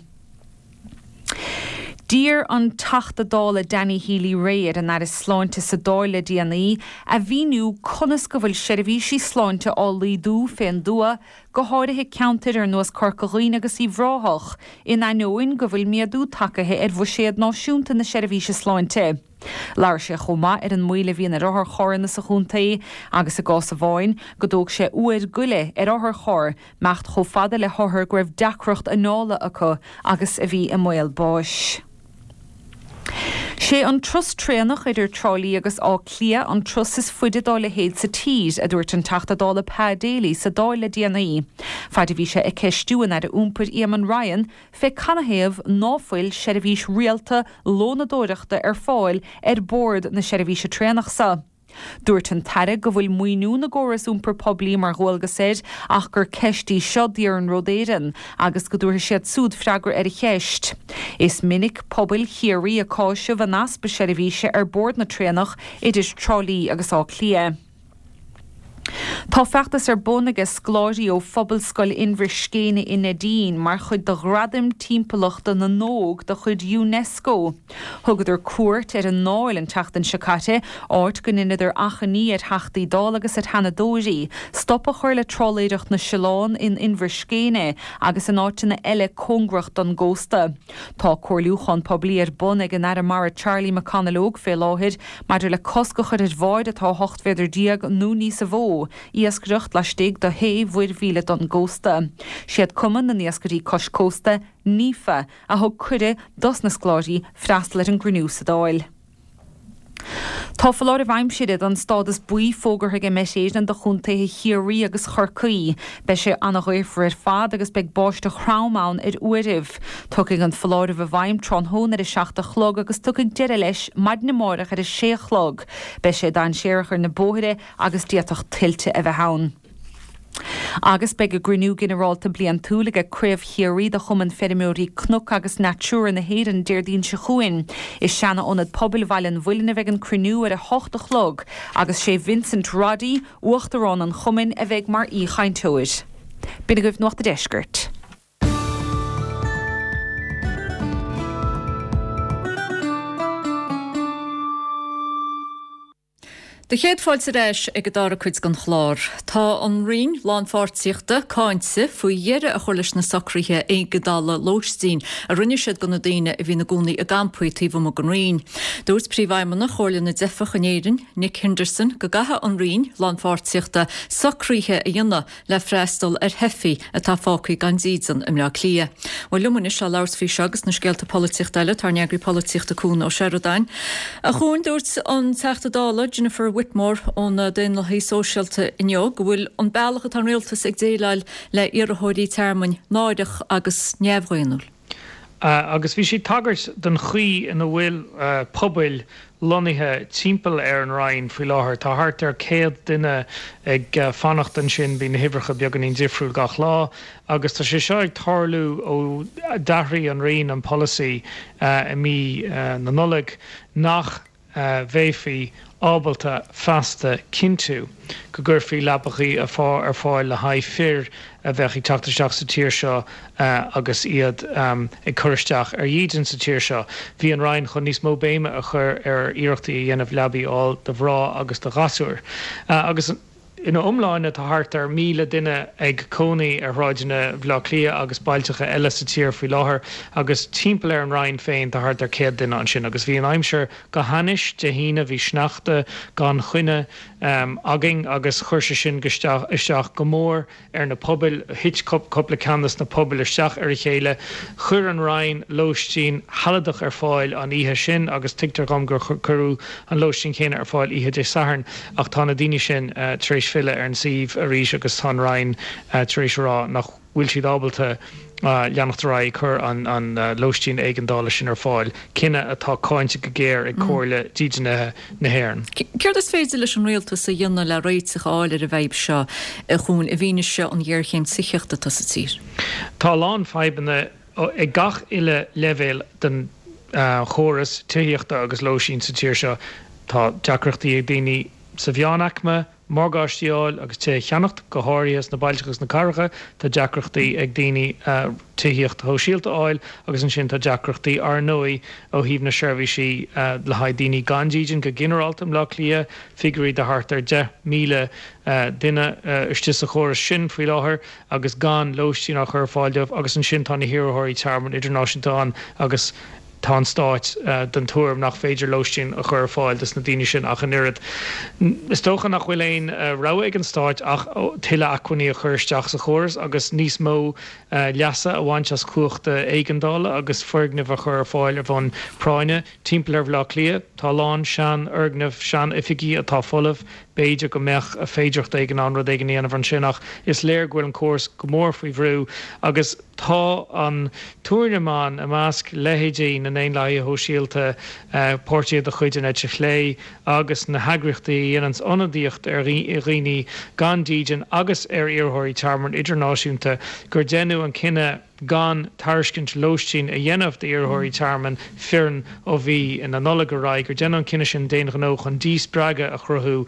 Speaker 11: D'iarr an Teachta Dála Danny Healy-Rae ar an Aire Sláinte sa Dáil le déanaí a mhíniú conas go bhfuil seirbhísí sláinte á laghdú fén dtuath, go háirithe ceantair ar nós Corca Dhuibhne agus Uíbh Ráthach, in ainneoin go bhfuil méadú tagaithe ar bhuiséad náisiúnta na seirbhíse sláinte. Labhair sé chomh maith ar an moill a bhíonn ar otharcharranna sa chontae agus i gcás amháin go dtóg sé uair go leith ar otharcharr imeacht chomh fada le hothar go raibh deacracht anála acu agus a bhí i mbaol báis. Sé an turas traenach idir Trá Lí agus Áth Cliath an turas is faide dá leithéid sa tír, a dúirt an Teachta Dála Pa Daly sa Dáil le déanaí, faid a bhí sé ag ceistiú an Aire Iompair Eamon Ryan fé canathaobh ná fuil seirbhís rialta lónadóireachta ar fáil ar bord na seirbhíse traenach so. Dúirt an tAire go bhfuil maoiniú na gcóras iompar poiblí mar dhualgas air ach gur ceist í seo d'Iarnród Éireann agus go dtabharfaidh siad súd freagra ar an cheist. Is minic pobail Chiarraí ag cáiseamh an easpa seirbhíse ar bord na traenach idir Trá Lí agus Áth Cliath. Tá feachtas ar bun aige scoláirí ó Phobalscoil Inbhir Scéine i Neidín mar chuid de Ghradaim Timpeallachta na nÓg de chuid Unesco. Thugadar cuairt ar an nDáil an tseachtain seo caite, áit go ndeineadar achainí ar Theachtaí Dála agus ar Sheanadóirí stop a chur le trálaeireacht na siolán in Inbhir Scéine agus in áiteanna eile cóngarach don gcósta. Tá comhairliúchán poiblí ar bun ag an Aire Mara Charlie McConalogue fé láthair maidir le cosc a chur ar bháid atá ocht mhéadar déag nó níosa mhó iascaireacht laistigh de shé mhuir-mhíle don gcósta. Siad Cumann na nIascairí Cois Cósta, NIFA, a thug cuireadh dos na scoláirí freastal ar an gcruinniú sa Dáil. Tá foláireamh aimsire den stádas buí fógartha ag Met Éireann do chontaetha Chiarraí agus Chorcaí. Beidh sé an-ghaofar ar fad agus beidh báisteach throm ann ar uairibh. Tiocfaidh an foláireamh i bhfeidhm tráthnóna ar a seacht a chlog agus tiocfaidh deireadh leis maidin amárach ar a sé a chlog. Beidh sé dainséarach ar na bóithre agus d'fhéadfadh tuilte a bheith ann. Agus beidh a gcruinniú ginearálta bliantúil ag Craobh Chiarraí de Chumann Feirmeoirí Cnoc agus Natura na hÉireann Déardaoin seo chugainn. I seana-ionad pobail Bhaile an Mhuilinn a bheidh an cruinniú ar a hocht a chlog agus sé Vincent Roddy, Uachtarán an Chumainn, a bheidh mar aoichainteoir. B'in agaibh Nuacht a' Deiscirt.
Speaker 1: Do chéad fáilte ar ais ag an dara cuid den chlár. Tá an Roinn Lánpháirtíochta cáinte faoi dheireadh a chur leis na socruithe éigeandála lóistín a rinne siad do na daoine a bhí ina gcónaí i gcampaí taobh amuigh den Roinn. Dúirt Príomhfheidhmeannach Chomhairle na dTeifeach in Éirinn, Nick Henderson, go gcaithfidh an Roinn Lánpháirtíochta socruithe a dhéanamh le freastal ar theifigh atá fágtha gan dídean i mBleá Cliath. Bhuel liom anois le labhairt faoi seo agus na scéalta polaitíochta eile tá ár n-eagraí polaitíochta Cuan Ó Seireadáin. A Chuain, dúirt an Teachta Dála Jennifer Whitmore ó na Daonlathaithe Sóisialta inniu go bhfuil an bealach atá an rialtas ag déileáil le iarrthóirí tearmainn náireach agus neamhdhaonnúil.
Speaker 13: Agus bhí sí ag tagairt don chaoi ina bhfuil pobail lonnaithe timpeall ar an Roinn faoi láthair. Tá thart ar céad duine ag fanacht ansin, bíonn na huimhreacha beagáinín difriúil gach lá, agus tá sé seo ag tarlú ó d'athraigh an Roinn an polasaí i mí na Nollag nach bhféadfaí ábalta feasta cinntiú go gcuirfí leapachaí ar fáil le haghaidh fir a bheadh ag teacht isteach sa tír seo agus iad ag cur isteach ar dhídean sa tír seo. Bhí an Roinn chun níos mó béime a chur ar iarrachtaí a dhéanamh leabaí a fháil do mhná agus do ghasúir agus Ina iomláine tá thart ar míle duine ag cónaí ar shráideanna Bhaile Átha Cliath agus bailteacha eile sa tír faoi láthair agus timpeall ar an Roinn féin tá thart ar céad duine ansin. Agus bhí an aimsir go hainnis Dé hAoine, bhí sneachta gan choinne againn agus chuir sé sin isteach go mór ar na pobail. Thit cúpla ceann de na pobail isteach ar a chéile. Chuir an Roinn lóistín shealadach ar fáil an oíche sin agus tuigtear dhom gur cuireadh an lóistín chéanna ar fáil oíche Dé Sathairn ach tá na daoine sin tar éis filleadh ar an suíomh arís agus tá an Roinn tar éis a rá nach bhfuil siad ábalta leanacht ar aghaidh ag cur an lóistín éigeandála sin ar fáil, cinneadh atá cáinte go géar ag Comhairle Dídeanaithe na hÉireann.
Speaker 1: Céard is féidir leis an rialtas a dhéanamh le réiteach a fháil ar an bhfadhb seo, a Chuain, i bhfianaise an ghéarchéim tithíochta atá sa tír?
Speaker 13: Tá a lán fadhbanna ag gach uile leibhéal den chóras tithíochta agus lóistín sa tír seo. Tá deacrachtaí ag daoine sa mheánaicme morgáistí a fháil agus tithe a cheannacht, go háirithe sna bailte agus sna cathracha. Tá deacrachtaí ag daoine tithíocht shóisialta a fháil agus ansin tá deacrachtaí, ar ndóigh, ó thaobh na seirbhísí le haghaidh daoine gan dídean go ginearálta i mBleá Cliath, figiúirí de thart ar deich míle duine istigh sa chóras sin faoi láthair agus gan lóistín á chur ar fáil dóibh agus ansin tá na hiarrthóirí tearmainn idirnáisiúnta ann agus tá an Stát den tuairim nach féidir lóistín a chur ar fáil dos na daoine sin ach an oiread. Is dócha nach bhfuil aon rogha ag an Stát ach tuilleadh acmhainní a chur isteach sa chóras agus níos mó leasa a bhaint as cumhachta éigeandála agus foirgnimh a chur ar fáil ar bhonn práinne. Timpeall ar Bhaile Átha Cliath, tá a lán seanfhoirgneamh, sean-oifigí atá folamh. B'fhéidir go mbeadh féidearthacht éigin ann rud éigin a dhéanamh ansin ach is léir go bhfuil an córas go mór faoi bhrú agus tá an tuairim ann i measc leithéidí na nDaonlathaithe Shóisialta, páirtithe de chuid an eite chlé agus na heagraíochtaí a dhéananns ionadaíocht ar dhaoine gan dídean agus ar iarrthóirí tearmainn idirnáisiúnta gur deineadh an cinneadh gan tairiscint lóistín a dhéanamh d'iarrthóirí tearmainn fireann ó mhí na Nollag ar aghaidh, gur deineadh an cinneadh sin d'aon ghnó chun díspreagadh a chruthú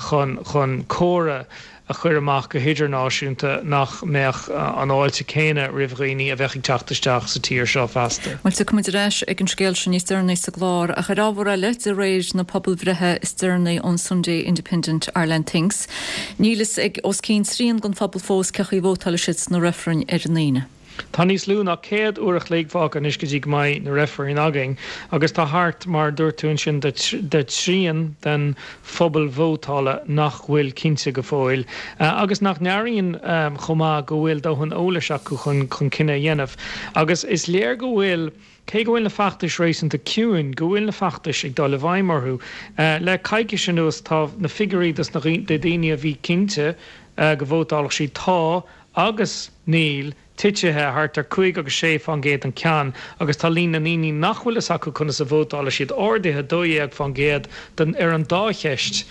Speaker 13: chun chun comhartha a chur amach go hidirnáisiúnta nach mbeadh an fháilte céanna roimh dhaoine a bheadh ag teacht isteach sa tír seo feasta.
Speaker 1: Bhuel, tiocfaidh muid ar ais ag an scéal sin níos deireanaí sa gclár, ach ar ábhar eile, de réir na pobalbhreithe is deireanaí ón Sunday Independent Ireland Thinks, níl fhios ag os cionn trian den phobal fós cén chaoi a vótálfaidh siad sna reifrinn ar an Aoine.
Speaker 13: Tá níos lú ná céad uair a chloig fágtha anois go dtí go mbeidh na reifrinn againn agus tá thart mar dúirt tú ansin de de trian den phobal vótála nach bhfuil cinnte go fóill agus nach n-airíonn chomh maith go bhfuil dóthain eolais acu chun chun cinneadh a dhéanamh. Agus is léir go bhfuil, cé go bhfuil na feachtais réasúnta ciúin, go bhfuil na feachtais ag dul i bhfeidhm orthu. Le coicís anuas tá na figiúirí dos na daoine a bhí cinnte go vótálfadh siad 'tá' agus 'níl' titithe thart ar cúig agus sé fán gcéad an ceann agus tá líon na ndaoine nach bhfuil fhios acu conas a vótálfaidh siad ardaithe dó dhéag fán gcéad den ar an dá cheist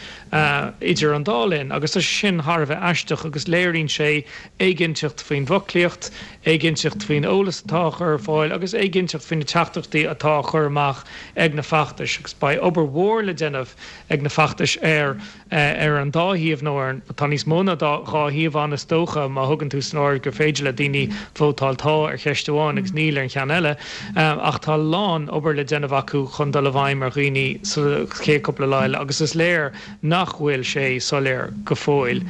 Speaker 13: idir an dá linn agus tá sé sin thar a bheith aisteach agus léiríonn sé éiginnteacht faoin bhfoclaíocht, éiginnteacht faoin eolas atá á chur ar fáil agus éiginnteacht faoi na teachtaireachtaí atá á chur amach ag na feachtais agus beidh obair mhór le déanamh ag na feachtais ar ar an dá thaobh nó ar an, tá níos mó ná dhá thaobh ann is dócha má thugann tú san áireamh gur féidir le daoine vótáil tá ar cheist amháin agus níl ar an cheann eile ach tá a lán obair le déanamh acu chun dul i bhfeidhm ar dhaoine sa chéad cúpla lá eile agus is léir nach bhfuil sé soiléir go fóill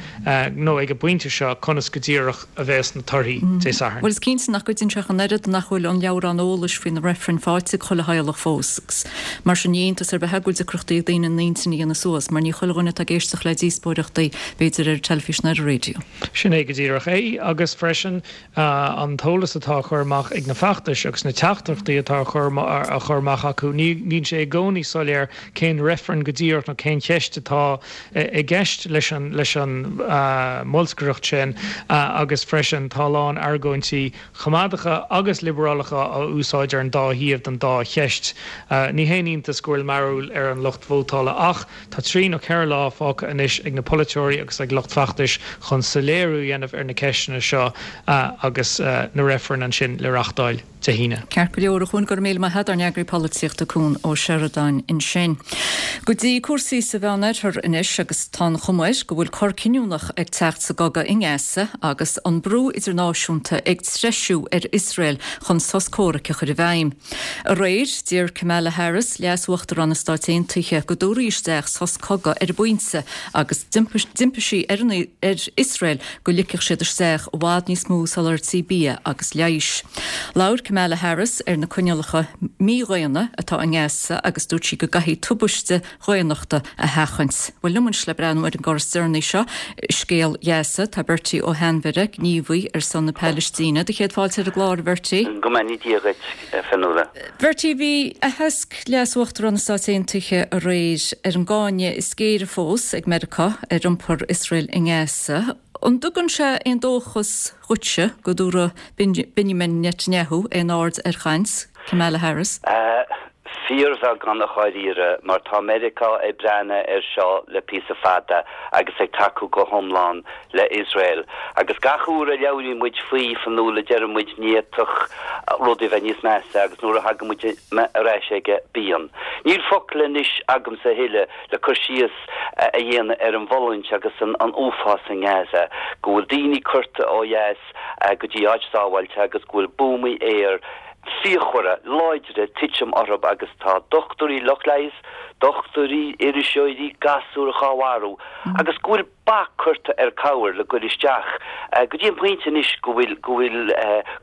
Speaker 13: nó ag an bpointe seo conas go díreach a bheas na torthaí Dé Sathairn.
Speaker 1: Bhuel is cinnte nach gcuidíonn sé ach an oiread nach bhfuil an leabhrán eolais faoi na reifrinn faighte ag chuile theaghlach fós agus mar sin ní iontas ar bith é go bhfuil deacrachtaí ag daoine a n-intinn a dhéanamh suas mar ní chuile dhuine atá ag éisteacht le díospóireachtaí b'fhéidir ar an teilifís nó ar an raidió.
Speaker 13: Sin é go díreach é agus freisin an t-eolas atá á chur amach ag na feachtais agus na teachtaireachtaí atá á chur amach acu, ní bhíonn sé i gcónaí soiléir cén reifreann go díreach nó cén cheist atá i gceist leis an leis an mbolscaireacht sin agus freisin tá a lán argóintí coimeádacha agus liobarálacha á úsáid ar an dá thaobh den dá cheist. Ní haon iontas go bhfuil mearbhall ar an lucht vótála ach tá trí nó ceithre lá fágtha anois ag na polaiteoirí agus ag lucht feachtais chun soiléiriú a dhéanamh ar na ceisteanna seo agus na reifrinn ansin le reáchtáil Dé hAoine.
Speaker 1: Ceart go leor, a Chuain, go raibh míle maith agat, ár n-eagraí polaitíochta Cuan Ó Seireadáin ansin. Go dtí cúrsaí sa Mheánoirthear anois agus tá an chuma air go bhfuil cor cinniúnach ag teacht sa gcogadh i nGaza agus an brú idirnáisiúnta ag treisiú ar Iosrael chun sos comhraic a chur i bhfeidhm. Aréir, d'iarr Kamala Harris, Leas-Uachtarán na Stáit Aontaithe, go dtabharfaí isteach sos cogaidh ar an bpointe agus d'impigh sí ar Iosrael go ligfeadh siad isteach i bhfad níos mó soláthairtí bia agus leighis. Labhair Kamala Harris ar na coinníollacha mídhaonna atá i nGaza agus dúirt sí go gcaithfidh tubaiste dhaonnachta a sheachaint. Bhuel, liom anois le breathnú ar an gcor is deireanaí seo i scéal Ghaza, tá Bertie Ó hAinmhire, gníomhaí ar son na Palaistíne. Do chéad fáilte ar an gclár, a Bhertie.
Speaker 14: Go mbeannaí Dia dhuit, a Fionnuala.
Speaker 1: Bertie, bhí aitheasc Leas-Uachtarán na Stáit Aontaithe aréir ar an gcáineadh is géire fós ag Meiriceá ar iompar Iosrael i nGaza. An dtugann sé aon dóchas dhuitse go dtabharfaidh Benjamin Netanyahu aon aird ar chaint Kamala Harris?
Speaker 14: Fíorbheagán i ndáiríre, mar tá Meiriceá ag breathnú air seo le píosa fada agus ag tacú go hiomlán le Iosrael. Agus gach uair a labhraíonn muid faoi, Fionnuala, deireann muid ní fhéadfadh rudaí bheith níos measa agus nuair a thagann muid ar ais aige, bíonn. Níl focal anois agamsa a thuilleadh le cur síos a dhéanamh ar an bhfulaingt agus an uafás i nGaza, go bhfuil daoine curtha ó dheas go dtí áit sábháilte agus go bhfuil buamaí aeir fíochmhara, láidre ag titim orthu agus tá dochtúirí, lucht leighis, dochtúirí, iriseoirí, gasúir dhá mharú agus go bhfuil bac curtha ar cabhair le goil isteach go dtí an pointe anois go bhfuil, go bhfuil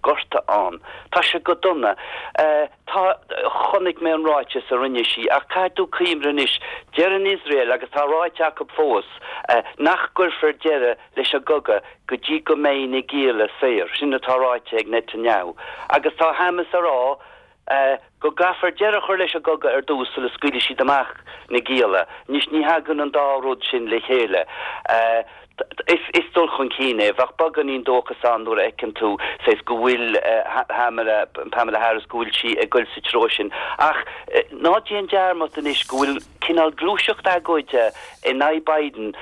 Speaker 14: gorta ann. Tá sé go dona. Tá, chonaic mé an ráiteas a rinne sí ach caithfidh tú cuimhneamh anois, deireann Iosrael agus tá ráite acu fós nach gcuirfear deireadh leis an gcogadh go dtí go mbeidh na gialla saor, sin atá ráite ag Netanyahu. Agus tá Hamas a rá go gcaithfear deireadh a chur leis an gcogadh ar dtús sula scaoilfidh siad amach na gialla. Anois ní thagann an dá rud sin le chéile. Is dul chun cinn é. Bheadh beagáinín dóchas ann nuair a fheiceann tú saghas go bhfuil Pamela Harris, go bhfuil sí ag goil sa treo sin. Ach ná déan dearmad anois go bhfuil cineál gluaiseacht agóide in aghaidh Biden,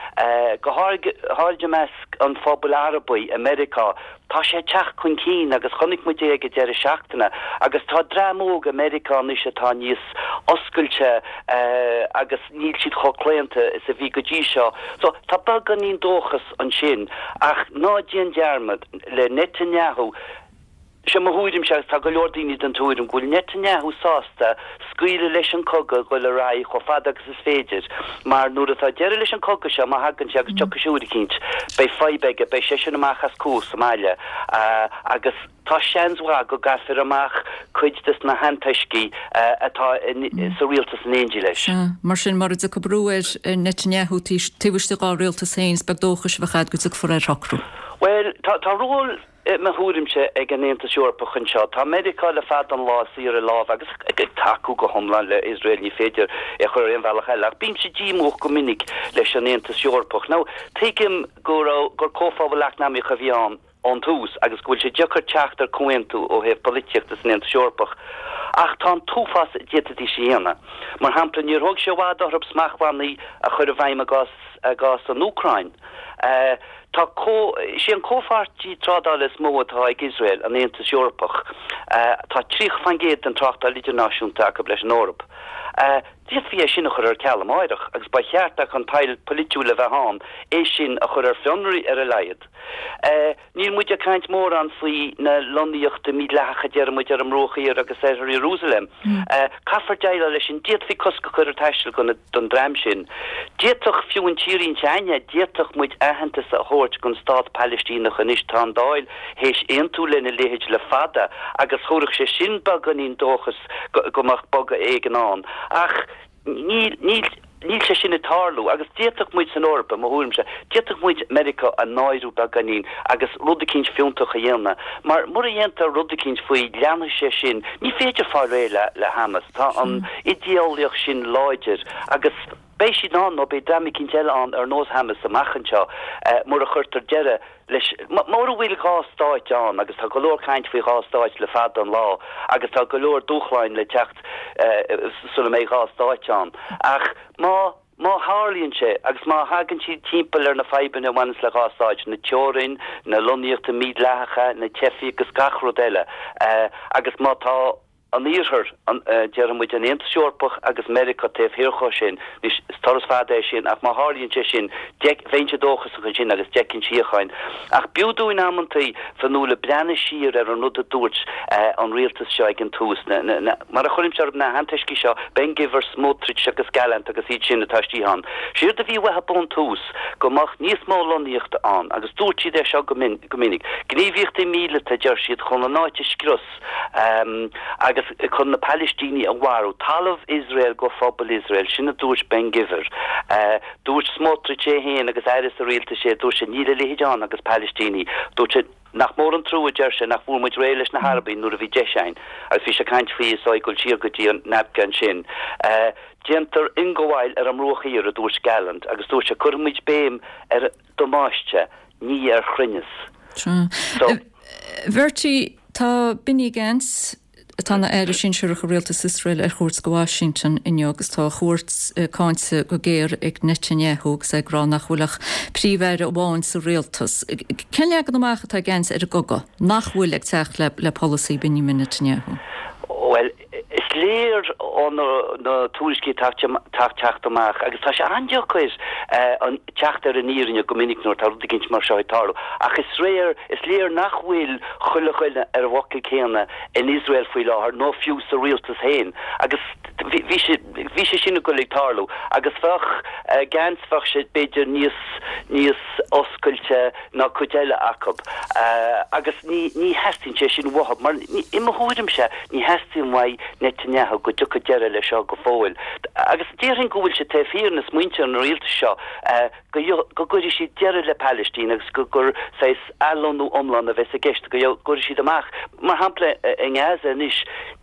Speaker 14: go háirid i measc an phobail Arabaigh i Meiriceá. Tá sé ag teacht chun cinn agus chonaic muid é ag an deireadh seachtaine agus tá dream óg i Meiriceá anois atá níos oscailte agus níl siad chomh claonta is a bhí go dtí seo. So tá beagáinín dóchas ansin ach ná déan dearmad, le Netanyahu, Sé mo thuairimse, agus tá go leor daoine den tuairim, go bhfuil Netanyahu sásta scaoileadh leis an cogadh dhul ar aghaidh chomh fada agus is féidir, mar nuair atá deireadh leis an cogadh seo, má thagann sé, agus tiocfaidh sé uair eicínt, beidh fadhb aige, beidh seisean amach as cúis sa mbaile, agus tá seans mhaith go gcaithfear amach cuid des na hantoiscigh atá sa rialtas in éindí leis.
Speaker 1: Sea, mar sin, mura dtiocfaidh brú ar Netanyahu taobh istigh dá rialtas féin, is beag dóchais a bheadh agat go dtiocfar ar shocrú.
Speaker 14: Bhuel, tá ról. I mo thuairimse, ag an Aontas Eorpach anseo, tá Meiriceá le fada an lá ag suí ar a lámha agus ag tacú go hiomlán le Iosrael, ní féidir é a chur ar aon bhealach eile, ach bímse díomúch go minic leis an Aontas Eorpach. Now, tuigim go raibh, gur comhphobal eacnamaíoch a bhí ann ón tús agus go bhfuil sé deacair teacht ar comhaontú ó thaobh polaitíochta san Aontas Eorpach, ach tá an t-uafás a d'fhéadfaidís a dhéanamh. Mar shampla, níor thóg sé i bhfad orthu smachtbhannaí a chur i bhfeidhm i gcás, i gcás an Úcráin. Tá comh, is é an comhpháirtí trádála is mó atá ag Iosrael, an Aontas Eorpach. Tá tríocha faoin gcéad den tráchtáil idirnáisiúnta acu leis an Eoraip. D'fhéadfaí é sin a chur ar ceal amáireach agus ba cheart ach an toil polaitiúil a bheith ann é sin a chur ar fionraí ar a laghad. Níl muid ag caint mórán faoi na lonnaíochtaí mídhleathacha a deir muid ar an mBruach Thiar agus Oirthear Iarúsailéim. Caithfear déileáil leis sin. D'fhéadfaí cosc a chur ar taisteal go don dream sin. D'fhéadfadh, fiú an tírín s'againne, d'fhéadfadh muid aitheantas a thabhairt don stát Palaistíneach anois. Tá an Dáil théis aontú lena leithéid le fada agus thabharfadh sé sin beagáinín dóchas go mbeadh bogadh éigin ann. Ach níl, níl. Níl sé sin ag tarlú agus d'fhéadfadh muid san Eoraip, i mo thuairimse, d'fhéadfadh muid Meiriceá a náiriú beagáinín agus rud eicínt fiúntach a dhéanamh. Mar mura dhéantar rud eicínt faoi, leanfaidh sé sin. Ní féidir fáil réidh le le Hamas. Tá an idéolaíocht sin láidir agus beidh siad ann nó beidh dream eicínt eile ann ar nós Hamas amach anseo mura chuirtear deireadh leis, mura bhfuil dhá stáit ann, agus tá go leor caint faoi dhá stáit le fada an lá, agus tá go leor dúshláin le teacht sula mbeidh dhá stáit ann, ach má, má tharlaíonn sé, agus má thagann siad timpeall ar na fadhbanna a bhaineanns le dhá stáit, na teorainn, na lonnaíochtaí mídhleathacha, na teifigh agus gach rud eile, agus má tá. an Iarthar, déarfaidh muid an Aontas Eorpach agus Meiriceá taobh thiar dhó sin. Anois, is turas fada é sin ach má tharlaíonn sé sin, bheinnse dóchasach ansin agus d'fheicfinn síocháin. Ach b'fhiú dúinn amantaí, Fionnuala, breathnú siar ar an rud a dúirt an rialtas seo ag an tús, na, na, na, mar a chuirimse orthu, na hantoiscigh seo, Ben Gvir, Smotrich agus Gallant agus iad sin atá istigh ann. Séard a bhí uathu ón tús, go mbeadh níos mó lonnaíochta ann agus dúirt siad é seo go minic. Gníomhaíochtaí míleata, a deir siad, chun an áit a scrios. agus chun na Palaistínigh a mharú, talamh Iosrael go phobal Iosrael, sin a dúirt Ben Gvir. Dúirt Smotrich é féin agus aire sa rialtas é, dúirt sé, níl a leithéid ann agus Palaistínigh. Dúirt sé, nach mór an trua, a deir sé, nach bhfuair muid réidh leis na hArabaigh nuair a bhí deis againn. Agus bhí sé ag caint faoi is ag dul siar go dtí an Nakba ansin. Déantar ionghabháil ar an mBruach Thiar, a dúirt Gallant, agus dúirt sé, cuirfimid béim ar damáiste, ní ar chruinneas.
Speaker 1: So. Bhertie, Tá Benny Gantz, atá ina aire sinsearach i rialtas Iosrael, ar chuairt go Washington inniu agus tá a chuairt cáinte go géar ag Netanyahu agus é ag rá nach bhfuil ach príomh-aire amháin sa rialtas. Cén leagan amach atá ag Gantz ar an gcogadh nach bhfuil ag teacht le polasaí Benjamin Netanyahu?
Speaker 14: Bhuel, is léir ó na tuairiscí atá ag teacht amach, agus tá sé an-deacair an teacht ar an fhírinne go minic nuair atá rud eicínt mar seo ag tarlú, ach is réir, is léir nach bhfuil chuile dhuine ar an bhfocal céanna in Iosrael faoi láthair, nó fiú sa rialtas féin, agus bhí sé, bhí sé sin ag dul ag tarlú, agus bheadh Gantz, bheadh sé b'fhéidir níos, níos oscailte ná cuid eile acu, agus ní, ní theastaíonn sé sin uathu, mar i mo thuairimse, ní theastaíonn uaidh Netanyahu go dtiocfaidh deireadh leis seo go fóill. Agus déarfainn go bhfuil sé taobh thiar na smaointe an rialtais seo go go gcuirfidh siad deireadh le Palaistín agus go gur saghas athlonnú iomlán a bheas i gceist, go gcuirfidh siad amach, mar shampla i nGaza anois,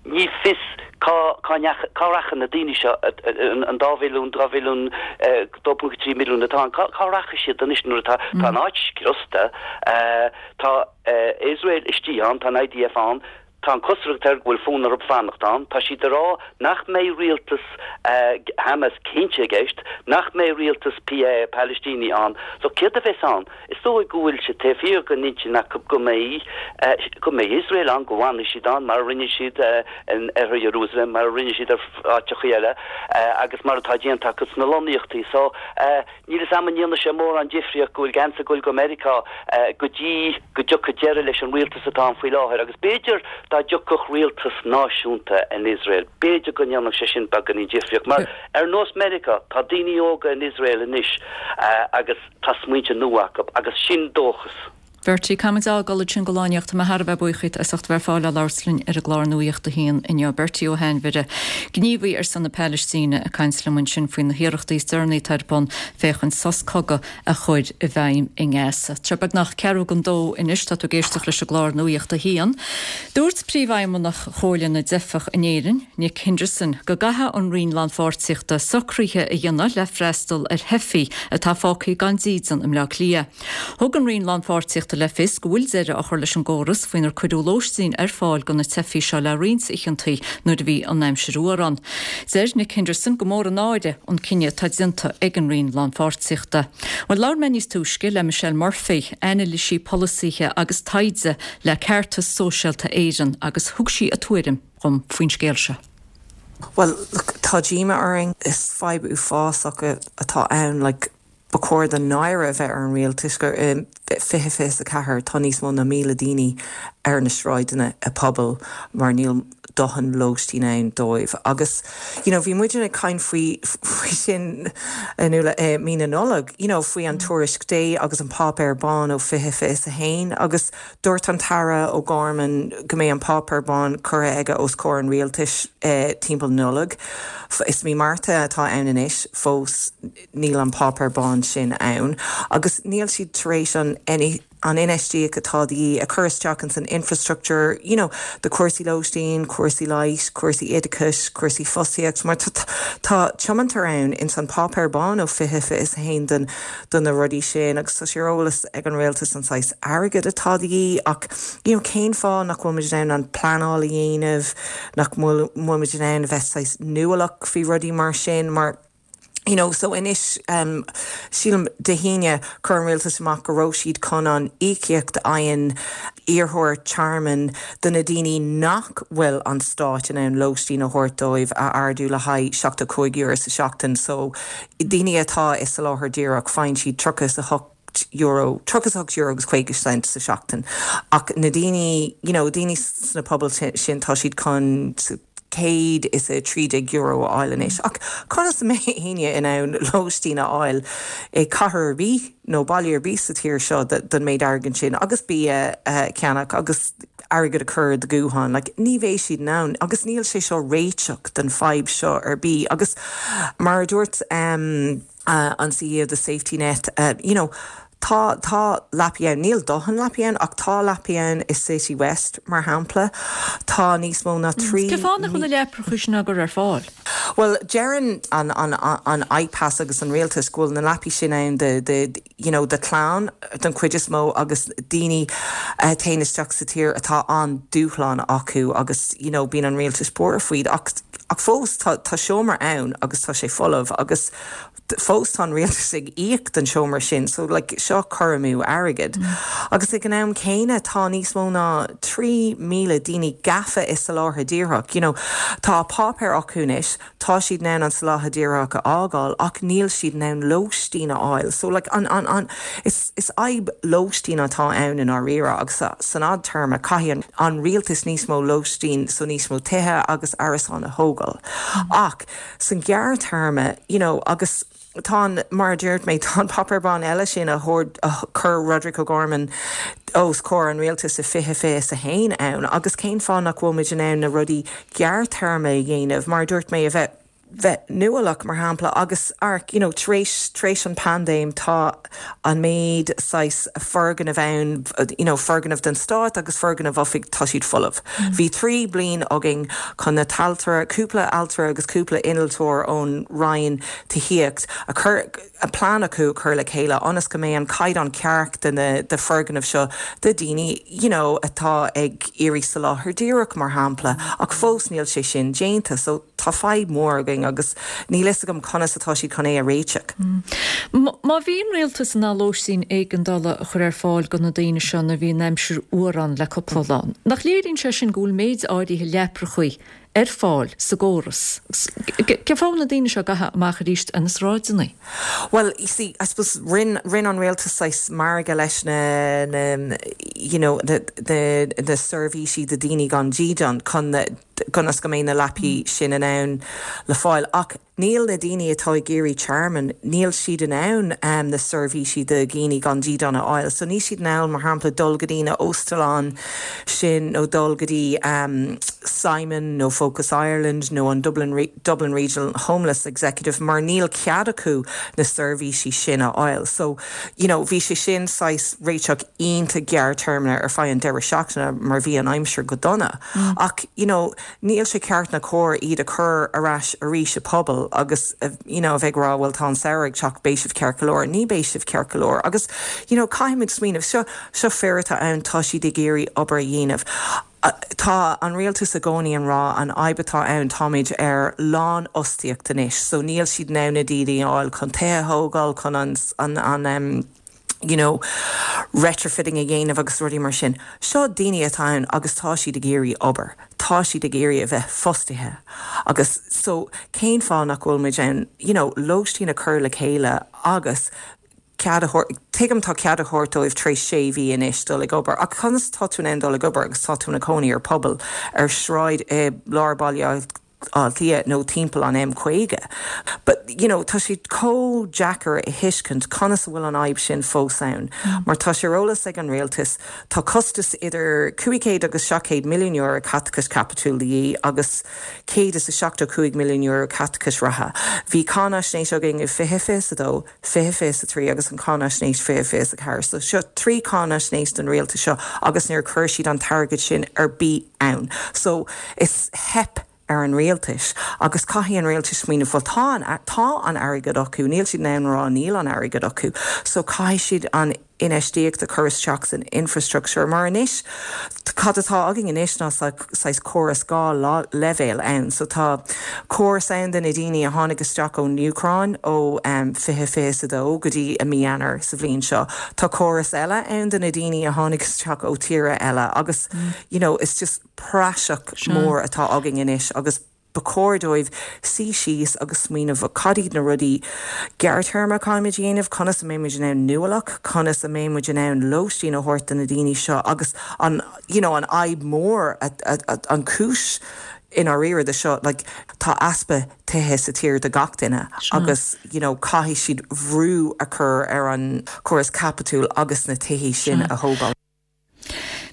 Speaker 14: ní fios cá cá ndeacha cá rachaidh na daoine seo, an dá mhilliún, dhá mhilliún, dó ponc trí milliún atá ann, cá cá rachaidh siad anois nuair atá tá an áit scriosta, tá Iosrael istigh ann, tá an IDF ann. Tá an chosúlacht air go bhfuil fonn orthu fanacht ann. Tá siad ag rá nach mbeidh rialtas Hamas cinnte i gceist, nach mbeidh rialtas Palaistíní ann. So céard a bheas ann? Is dóigh go bhfuil sé taobh thiar den intinn acu go mbeidh go mbeidh Iosrael ann, go bhfanfaidh siad ann mar a rinne siad in oirthear Iarúsailéim, mar a rinne siad ar áiteachaí eile agus mar atá déanta acu sna lonnaíochtaí. So níl 'fhios a'm an ndéanfaidh sé mórán difríocht go bhfuil Gantz ag goil go Meiriceá go dtí go dtiocfaidh deireadh leis an rialtas atá ann faoi láthair agus b'fhéidir dá dtiocfadh rialtas náisiúnta in Iosrael, b'fhéidir go ndéanfadh sé sin beagáinín difríocht. Mar ar nós Meiriceá, tá daoine óga in Iosrael anois agus tá smaointe nua acu agus sin dóchas.
Speaker 1: Bertie, Caithfimid a fhágáil ansin go lá inniu. Tá mé thar a bheith buíoch díot as ucht a bheith ar fáil le labhairt linn ar an gclár Nuacht a hAon inniu. Bertie Ó hAinmhire, gníomhaí ar son na Palaistíne, ag caint liom ansin faoi na hiarrachtaí is deireanaí atá ar bun féachaint sos cogaidh a chur i bhfeidhm i nGaza. Tá beagnach ceathrú don dó anois, tá tú ag éisteacht leis an gclár Nuacht a hAon. Dúirt Príomhfheidhmeannach Chomhairle na dTeifeach in Éirinn, Nick Henderson, go gcaithfidh an Roinn Lánpháirtíochta socruithe a dhéanamh le freastal ar theifigh atá fágtha gan dídean i mBleá Cliath. Thug an Roinn Lánpháirtíochta le fios go bhfuil deireadh á chur leis an gcóras faoinar cuireadh lóistín ar fáil do na teifigh seo le roinnt oícheantaí nuair a bhí an aimsir fhuar ann. Deir Nick Henderson gur mór an náire an cinneadh atá déanta ag an Roinn Lánpháirtíochta. Bhuel, labhair mé níos túisce le Michelle Murphy, anailísí polasaithe agus taighde le Ceartas Sóisialta Éireann agus thug sí a tuairim dhom faoin scéal seo.
Speaker 15: Well, look, tá díomá orainn is fadhb uafásach atá ann like, ba chóir don náire a bheith ar an rialtas gur i fiche fiche a ceathair tá níos mó ná míle daoine ar na sráideanna i bpobal mar níl dóthain lóistín ann dóibh. Agus you know, bhí muid ag caint faoi faoi sin in eh, mí na Nollag, you know, faoi an tuairisc Day agus an páipéar bán ó fiche fiche a haon agus dúirt an tAire O'Gorman go mbeidh an páipéar bán curtha aige os comhair an rialtais eh, timpeall Nollag. Is mí Márta atá ann anois fós níl an páipéar bán sin ann, agus níl siad tar éis an an infheistíocht atá de dhíth a chur isteach in san infrastructure, you know, de cúrsaí lóistín, cúrsaí leighis, cúrsaí oideachais, cúrsaí fostaíocht, mar tá tiomantas ann in san páipéar bán ó fiche fiche a haon den do na rudaí sin agus tá sé ar eolas ag an rialtas an saghas airgead atá de dhíth ach you know, cén fáth nach bhfuil muid an pleanáil a dhéanamh nach bhfuil muid in ann bheith saghas nuálach faoi rudaí mar sin mar You know, so anois um, sílim Dé hAoine chuir an rialtas amach go raibh siad chun an íocaíocht a fhaigheann iarrthóirí tearmainn do na daoine nach bhfuil an stát in ann lóistín a thabhairt dóibh a ardú le haghaidh seachtó cúig euro sa seachtain, so daoine atá i soláthar díreach faigheann siad tríocha a hocht euro tríocha a hocht euro agus caoga cent sa seachtain. Ach na daoine you know, daoine sna pobail sin tá siad chun céad is a trí déag euro a fháil anois. Ach conas a mbeidh éinne in ann lóistín a fháil i cathair ar bith nó baile ar bith sa tír seo don méid airgid sin agus bia a cheannach agus airgead a chur do ghuthán, like, ní bheidh siad in ann agus níl sé seo réiteach den fadhb seo ar bith agus mar a dúirt um, uh, an CEO the safety net uh, you know, Tá tá leapaí ann níl dóthain leapaí ann ach tá leapaí ann i City West mar shampla tá níos mó ná trí
Speaker 1: Cén fáth nach bhfuil na leapacha sin á gcur ar fáil.
Speaker 15: Well deireann an an an IPAS agus an rialtas go bhfuil na leapaí sin ann de de you know, de chlann den chuid is mó agus daoine uh, téann isteach sa tír atá an dúshlán acu agus you know, bíonn an rialtas buartha faoi ach ach fós tá tá seomra ann agus tá sé folamh agus fós tá an rialtas ag íoc den seomra sin, so like, seo cur amú airgid. Mm. Agus ag an am céanna tá níos mó ná trí míle daoine gafa i soláthar díreach. You know, tá páipéar acu anois, tá siad in ann an soláthar díreach a fhágáil ach níl siad in ann lóistín a fháil. So like, an, an, an, is, is fadhb lóistín atá ann in dáiríre agus san fhadtéarma caithfidh an rialtas níos mó lóistín so níos mó tithe agus árasán a thógáil. Mm. Ach san gearrthéarma you know, agus tá mar dúirt mé tá páipéar bán eile sin a chuir Roderick O'Gorman os comhair an rialtas i fiche fiche a haon ann, agus cén fáth nach bhfuil muid in ann na rudaí gearrthéarma a dhéanamh mar dúirt mé a bheith bheith nuálach mar shampla agus arc you know, tar éis tar éis an paindéim tá an méid saghas foirgneamh ann you know, foirgneamh den stát agus foirgneamh oifig tá siad folamh. Mm. Bhí trí bliain againn chun na t-ailtire cúpla ailtire agus cúpla innealtóir ón Roinn Tithíochta a chur a plean acu chur le chéile ionas go mbeidh an caighdeán ceart de na de foirgneamh seo de daoine you know, atá ag iarraidh soláthar díreach mar shampla ach fós níl sé sin déanta so tá fadhb mór againn agus níl fhios agam conas atá siad chun é a réiteach.
Speaker 1: Mm. Má bhí an rialtas in ann lóistín éigeandála a chur ar fáil do na daoine seo nuair a bhí an aimsir fhuar ann le cúpla lá. Nach léiríonn sé sin go bhfuil méid áirithe leaprachaí ar fáil sa gcóras. Cén fáth na daoine seo gabháil amach arís ar na sráideanna?
Speaker 15: Well, you see, I suppose rinne rinne an rialtas saghas margadh leis na, na you know, the, the, the seirbhísí do daoine gan dídean chun ionas go mbeidh na leapaí sin in ann le fáil ach níl na daoine atá ag iarraidh tearmann, níl siad in ann um, na seirbhísí do dhaoine gan dídean a fháil. So níl siad in ann mar shampla dul go dtí na hóstáin sin nó dul go dtí um, Simon nó Focus Ireland nó an Dublin, Re Dublin Regional Homeless Executive mar níl cead acu na seirbhísí sin a fháil. So you know, bhí sé sin saghas réiteach iontach gearrthéarma ar feadh an deireadh seachtaine mar bhí an aimsir go dona. Mm. Ach you know, níl sé ceart ná cóir iad a chur ar ais arís sa phobal agus uh, you know, bheith rá bhfuil tá an samhradh ag teacht beidh sibh ceart go leor, ní beidh sibh ceart go leor. agus you know, caithfimid smaoineamh seo seo fir atá ann tá siad ag iarraidh obair a dhéanamh. Uh, tá an rialtas i gcónaí ag rá an fhadhb atá ann táimid ar lánfhostaíocht anois, so níl siad in ann na daoine a fháil chun tithe a thógáil chun an, an, an um, you know, retrofitting a dhéanamh agus rudaí mar sin. Seo daoine atá ann agus tá siad ag iarraidh obair. Tá siad ag iarraidh a bheith fostaithe. Agus so cén fáth nach bhfuil muid ann, you know, lóistín a chur le chéile agus cead tuigim tá cead a thabhairt dóibh tar éis sé mhí anois dul ag obair, ach conas tá tú in dul ag obair agus tá tú ina cónaí ar phuball ar sráid i lár Baile Átha Cliath nó timpeall an M caoga. But you know, tá sé chomh deacair a thuiscint conas a bhfuil an fhadhb sin fós ann. Mm. Mar tá sé ar eolas ag an rialtas tá costas idir cúig chéad agus seacht gcéad milliún euro caiteachas caipitiúil de dhíth agus céad is a seachtó cúig milliún euro caiteachas reatha. Bhí cáinaisnéis againn i fiche fiche a dó, fiche fiche a trí agus an cáinaisnéis fiche fiche a ceathair. So seo trí cáinaisnéis den rialtas seo agus níor chuir siad an t-airgead sin ar bith ann. So is theip ar an rialtas agus caithfidh an rialtas smaoineamh bhuel tá tá an airgead acu, níl siad in ann rá níl an airgead acu, so caithfidh siad an infheistíocht a chur isteach san infrastructure mar anois cad atá againn anois ná saghas córas dhá leibhéal ann, so tá córas ann do na daoine a tháinig isteach ón Úcráin ó um, fiche fiche a dó go dtí i mí Eanáir sa bhliain seo. Tá córas eile ann do na daoine a tháinig isteach ó tíortha eile agus mm. you know, it's just praiseach mór atá againn anois agus ba chóir dóibh suí síos agus smaoineamh cad iad na rudaí gearrthéarma caithfimid dhéanamh conas a mbeimid in ann nuálach, conas a mbeimid in ann lóistín a thabhairt do na daoine seo agus an you know, an fhadhb mór an chúis in áirithe de seo like, tá easpa tithe sa tír do gach duine agus you know, caithfidh siad brú a chur ar an córas caipitiúil agus na tithe sin a thógáil.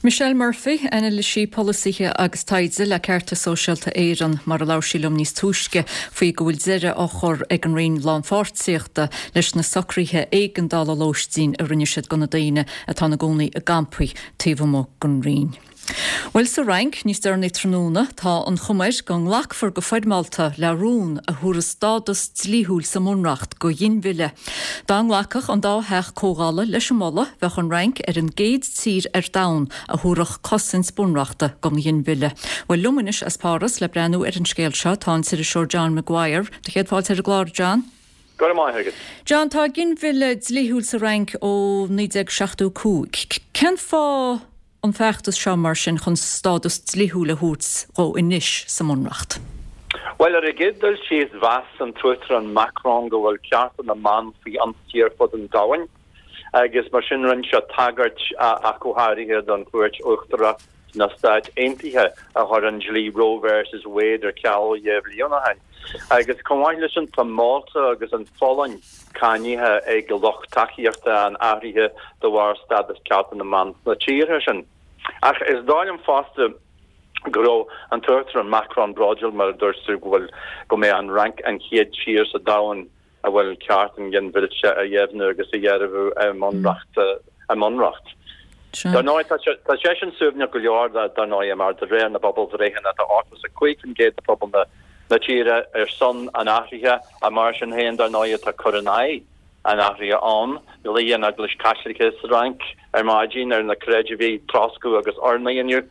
Speaker 1: Michelle Murphy, anailísí polasaithe agus taighde le Ceartas Sóisialta Éireann mar a labhair sí liom níos túisce faoi go bhfuil deireadh á chur ag an Roinn Lánpháirtíochta leis na socruithe éigeandála lóistín a rinne siad do na daoine atá ina gcónaí i gcampaí taobh amuigh den Roinn. Bhuel sa Fhrainc níos deireanaí tráthnóna tá an chuma air go nglacfar go foirmeálta le rún a thabharfas stádas dlíthiúil sa mbunreacht do ghinmhilleadh. Dá nglacfadh an dá theach comhdhála leis an moladh bheadh an Fhrainc ar an gcéad tír ar domhan a thabharfadh cosaint bunreachta don ghinmhilleadh. Bhuel liom anois as Páras le breathnú ar an scéal seo tá an t-iriseoir John Maguire, do chéad fáilte ar an gclár John.
Speaker 16: Go raibh maith agat.
Speaker 1: John tá ginmhilleadh dlíthiúil sa Fhrainc ó naoi déag seachtó cúig. Cén fáth an feachtas seo mar sin chun stádas dlíthiúil a thabhairt dó anois sa mbunreacht?
Speaker 16: Bhuel ar an gcéad dul síos mheas an tUachtarán Macron go bhfuil cearta na mban faoi ionsaí ar fud an domhain agus mar sin rinne sé tagairt ach go háirithe don Chúirt Uachtarach sna Stáit Aontaithe a chuir an dlí Roe versus Wade ar ceal dhá bhliain ó shin. Agus chomh maith leis sin tá Málta agus an Pholainn cáinithe ag lucht tacaíochta an athraithe de bharr stádas cearta na mban sna tíortha sin. Ach is dóigh liom fosta go raibh an tUachtarán Macron bródúil mar a dúirt tú go bhfuil go mbeidh an Fhrainc an chéad tír sa domhan a bhfuil ceart an ghinmhillte a dheimhniú agus a dhearbhú i mbunreacht i mbunreacht. Dar ndóigh tá sé tá sé sin suaimhneach go leor dar ndóigh mar de réir na bpobalbhreitheanna tá ochtó is a cúig faoin gcéad de phobal na na tíre ar son an athraithe ach mar sin féin dar ndóigh tá cur in aghaidh an athraithe ann. Ghlaoigh an Eaglais Chaitliceach sa Fhrainc ar maidin ar na creidmhigh troscadh agus urnaí inniu.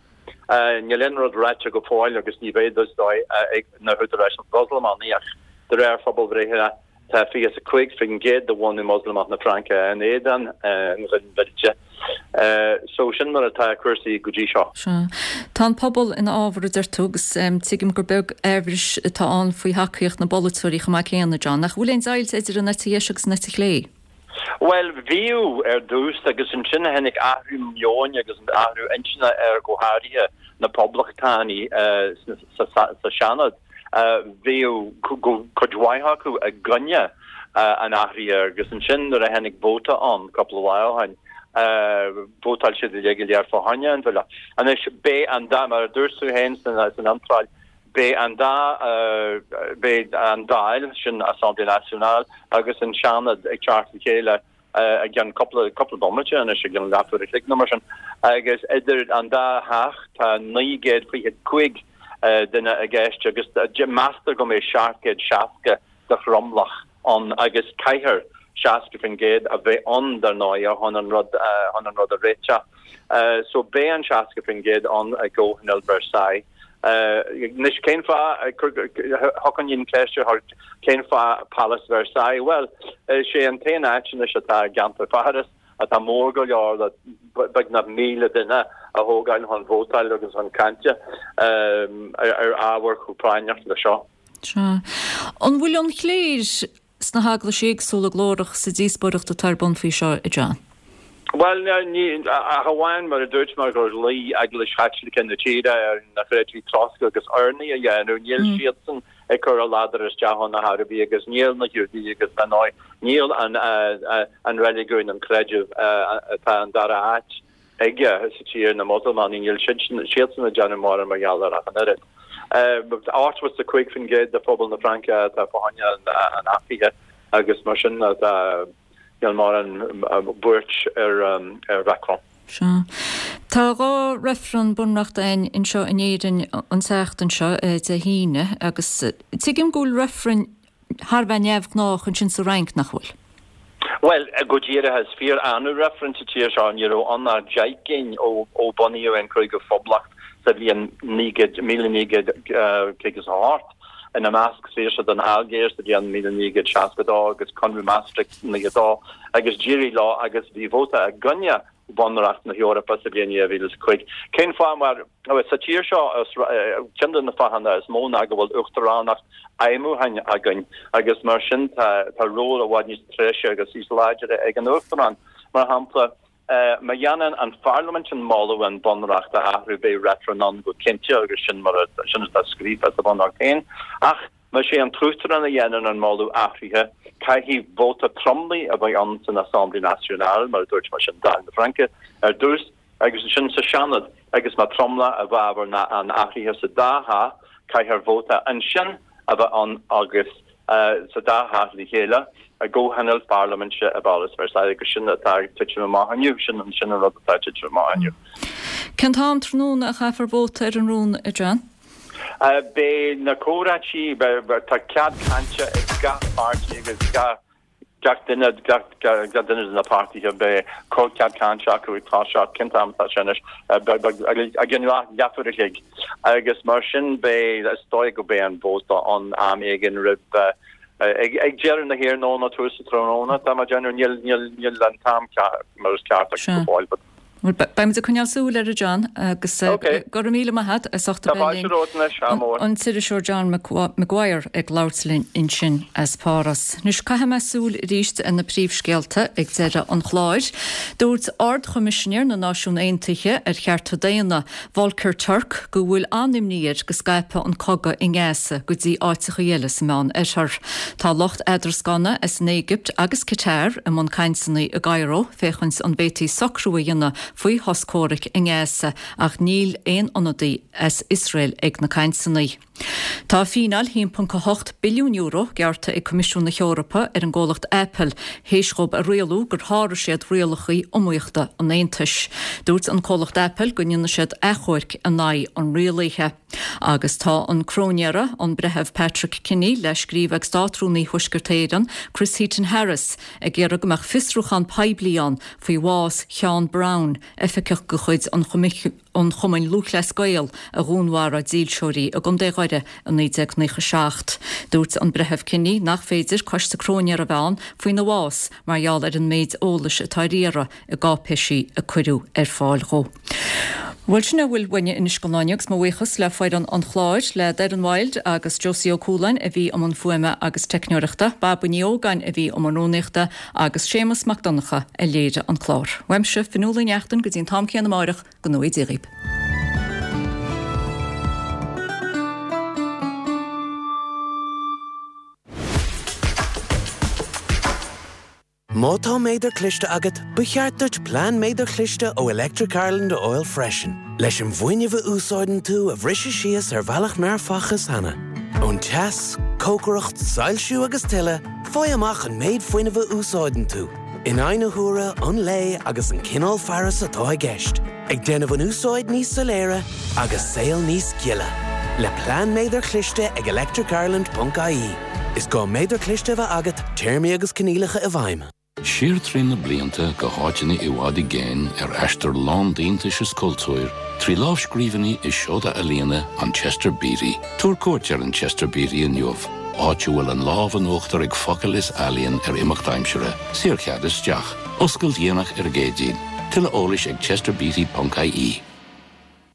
Speaker 16: Níl aon rud ráite go fóill agus ní bheidh is dóigh ag na húdaráis Mhoslamach ach de réir phobalbhreitheanna tá fiche is a cúig faoin gcéad de bhunadh Moslamach na Fraince in éadan an ghinmhillte. So sin mar atá cúrsaí go dtí seo.
Speaker 1: Sea. Tá an pobal ina fhábhar a deir tú agus tuigim gur beag aimhreas atá ann faoi thacaíocht na bpolaiteoirí chomh maith céanna, John. Nach bhfuil aon deighilt idir an eite dheis agus an eite chlé?
Speaker 16: Bhuel, bhíodh ar dtús agus ansin tháinig athrú meoin agus athrú intinne ar go háirithe na poblachtánaigh sa Seanad. Bhíodh cuid mhaith acu i gcoinne an athraithe agus ansin nuair a tháinig vóta ann cúpla lá ó shin, vótáil siad uilig go léir fá choinne an bhille. Anois, beidh an dá, mar a dúirt tú féin san iontráil, beidh an dá, beidh an Dáil, sin Assemblée Nationale, agus an Seanad ag teacht le chéile i gceann cúpla, cúpla bomaite anois, i gceann leathuair a chloig nó mar sin, agus idir an dá theach tá naoi gcéad fiche cúig duine i gceist agus meastar go mbeidh seacht gcéad seasca de thromlach ann agus caithfear seasca faoin gcéad a bheith ann dar ndóigh chun an rud chun an rud a réiteach. So beidh an seasca faoin gcéad ann i gcomhthionól Versailles. Anois cén fáth, thiocfadh an cheist ar cén fáth Pálás Versailles? Bhuel, is é an t-aon áit anois atá i gceantar Pháras atá mór go leor le beagnach míle duine a thógáil chun vótáil agus chun cainte ar ábhar chomh práinneach le seo.
Speaker 1: Sea. An bhfuil an chléir sna heaglaisí éagsúla glórach sa díospóireacht atá ar bun faoi seo, a John?
Speaker 16: Bhuel, ní, ach amháin mar a dúirt mé gur ghlaoigh Eaglais Chaitliceach na tíre ar na creidmhigh troscadh agus urnaí a dhéanamh, níl siadsan ag cur a ladar isteach ann ar chor ar bith agus níl na Giúdaigh agus dar ndóigh níl an an reiligiún, an creideamh atá an dara háit aige sa tír, na Moslamanaigh, níl siadsan ag déanamh mórán mar gheall air ach an oiread. Ochtó is a cúig faoin gcéad de phobal na Fraince atá fá choinne an athraithe agus mar sin tá níl mórán buairt ar Mhacron.
Speaker 1: Sea. Tá dhá reifreann bunreachta againn anseo in Éirinn an tseachtain seo, Dé hAoine, agus tuigim go bhfuil reifreann thar a bheith neamhghnách ansin sa Fhrainc, nach bhfuil?
Speaker 16: Bhuel, go díreach, is fíor-annamh reifreann sa tír seo. Ní raibh ann ach deich gcinn ó ó bunaíodh an Cúigiú Phoblacht sa bhliain naoi gcéad, míle naoi gcéad caoga is a hocht, ina measc saoirse don Ailgéir sa bhliain míle naoi gcéad seasca a dó agus Conradh Maastricht naocha a dó agus d'éirigh leo agus bhí vóta i gcoinne Bhunreacht na hEorpa sa bhliain dhá mhíle is a cúig. Cén fáth? Mar sa tír seo, ceann de na fáthanna is mó ná go bhfuil uachtaránacht fheidhmiúcháin againn agus mar sin tá tá ról i bhfad níos treise agus níos láidre ag an uachtarán. Mar shampla, má dhéanann an pharlaimint an moladh an bunreacht a athrú beidh reifreann ann go cinnte agus sin mar sin atá scríofa sa bhunreacht féin. Ach más é an tUachtarán a dhéanann an moladh athraithe, caithfidh vóta tromlaigh a bheith ann san Assemblée Nationale, mar a dúirt mé, sin Dáil na Fraince, ar dtús, agus ansin sa Seanad, agus má tromlach i bhfabhar an athraithe sa dá theach, caithfear vóta ansin a bheith ann agus sa dá theach le chéile i gcomhthionól parlaiminte i bPálás Versailles, agus sin atá ag titim amach inniu, sin an rud atá ag titim amach inniu.
Speaker 1: Cén t-am tráthnóna a chaithfear vóta ar an rún, a John?
Speaker 16: Beidh na comhráití, tá cead cainte ag gach páirtí agus gach duine, gach duine de na páirtithe, beidh cead cainte acu ag toiseacht, cén t-am atá sé anois, i gcionn leathuair a chloig agus mar sin beidh, is dóigh go beidh an vóta ann am éigin roimh, ag deireadh na hiarnóna, tús an tráthnóna, tá mé ag déanamh, níl an t-am mar is ceart agam go fóill but.
Speaker 1: Bhuel, beidh muid ag coinneáil súil air, a John, agus go raibh míle maith agat as ucht a bheith linn. An t-iriseoir John Maguire ag labhairt linn ansin as Páras. Anois, caithfidh mé súil arís ar na príomhscéalta ag deireadh an chláir. Dúirt Ard-Choimisinéir na Náisiún Aontaithe ar Chearta Daonna, Volker Turk, go bhfuil an-imní air go scaipfidh an cogadh i nGaza go dtí áiteacha eile sa Meán-Oirthear. Tá lucht eadrascána as an Éigipt agus Qatar i mbun cainteanna i gCairo féachaint an bhféadfaí socrú a dhéanamh faoi shos comhraic i nGaza ach níl aon ionadaí as Iosrael ag na cainteanna. Tá fíneáil haon ponc a hocht billiún euro gearrtha ag Coimisiún na hEorpa ar an gcomhlacht Apple théis dhóibh a rialú gur sháraigh siad rialacha iomaíochta an Aontais. Dúirt an comhlacht Apple go ndéanfaidh siad achomharc in aghaidh an rialaithe. Agus tá an cróinéara, an Breitheamh Patrick Kinney, le scríobh ag Státrúnaí Thuaisceart Éireann, Chris Heaton Harris, ag iarraidh go mbeadh fiosrúchán poiblí ann faoi bhás Sheán Brown, oifigeach de chuid an an Chumainn Lúthchleas Gael a dhúnmharaigh dílseoirí i gContae Dhoire i naoi déag naocha seacht. Dúirt an Breitheamh Kinney nach féidir coiste cróinéara a bheith ann faoina bhás mar gheall ar an méid eolais atá ar iarraidh i gcáipéisí a cuireadh ar fáil dhó. Bhuel sin a bhfuil uainne anois don lá inniu agus mo bhuíochas le foireann an chláir, le Doireann Wilde agus Josie Ó Cualáin a bhí i mbun fuaime agus teicneoireachta, Baba Ní Ógáin a bhí i mbun rúnaíochta agus Séamus Mac Donncha a léirigh an clár. Uaimse, Fionnuala Ní Neachtain go dtí an t-am céanna amáireach, go ngnóthaí Dia dhaoibh.
Speaker 17: Má tá méadar cliste agat, ba cheart duit plean méadar cliste ó Electric Ireland a fháil freisin, leis an bhfuinneamh a úsáideann tú a bhriseadh síos ar bhealach nár facthas cheana. Ón teas, cócaireacht, soilsiú agus tuilleadh, faigh amach an méid fuinnimh a úsáideann tú, in aghaidh na huaire, an lae agus an cineál fearas atá i gceist, ag déanamh an úsáid níos soiléire agus saol níos gile. Le plean méadar cliste ag electricireland ponc ie. Is gá méadar cliste a bheith agat, téarmaí agus coinníollacha i bhfeidhm.
Speaker 18: Siar trí na blianta go háiteanna i bhfad i gcéin ar aistear lán d'iontais is cultúir, trí lámhscríbhinní is seoda ealaíne an Chester Beatty. Tabhair cuairt ar an Chester Beatty inniu, áit a bhfuil an lámh in uachtar ag focail is ealaíon ar imeacht aimsire. Saorchead isteach. Oscailt dhéanach ar an gCéadaoin. Tuilleadh eolais ag chesterbeatty ponc ie.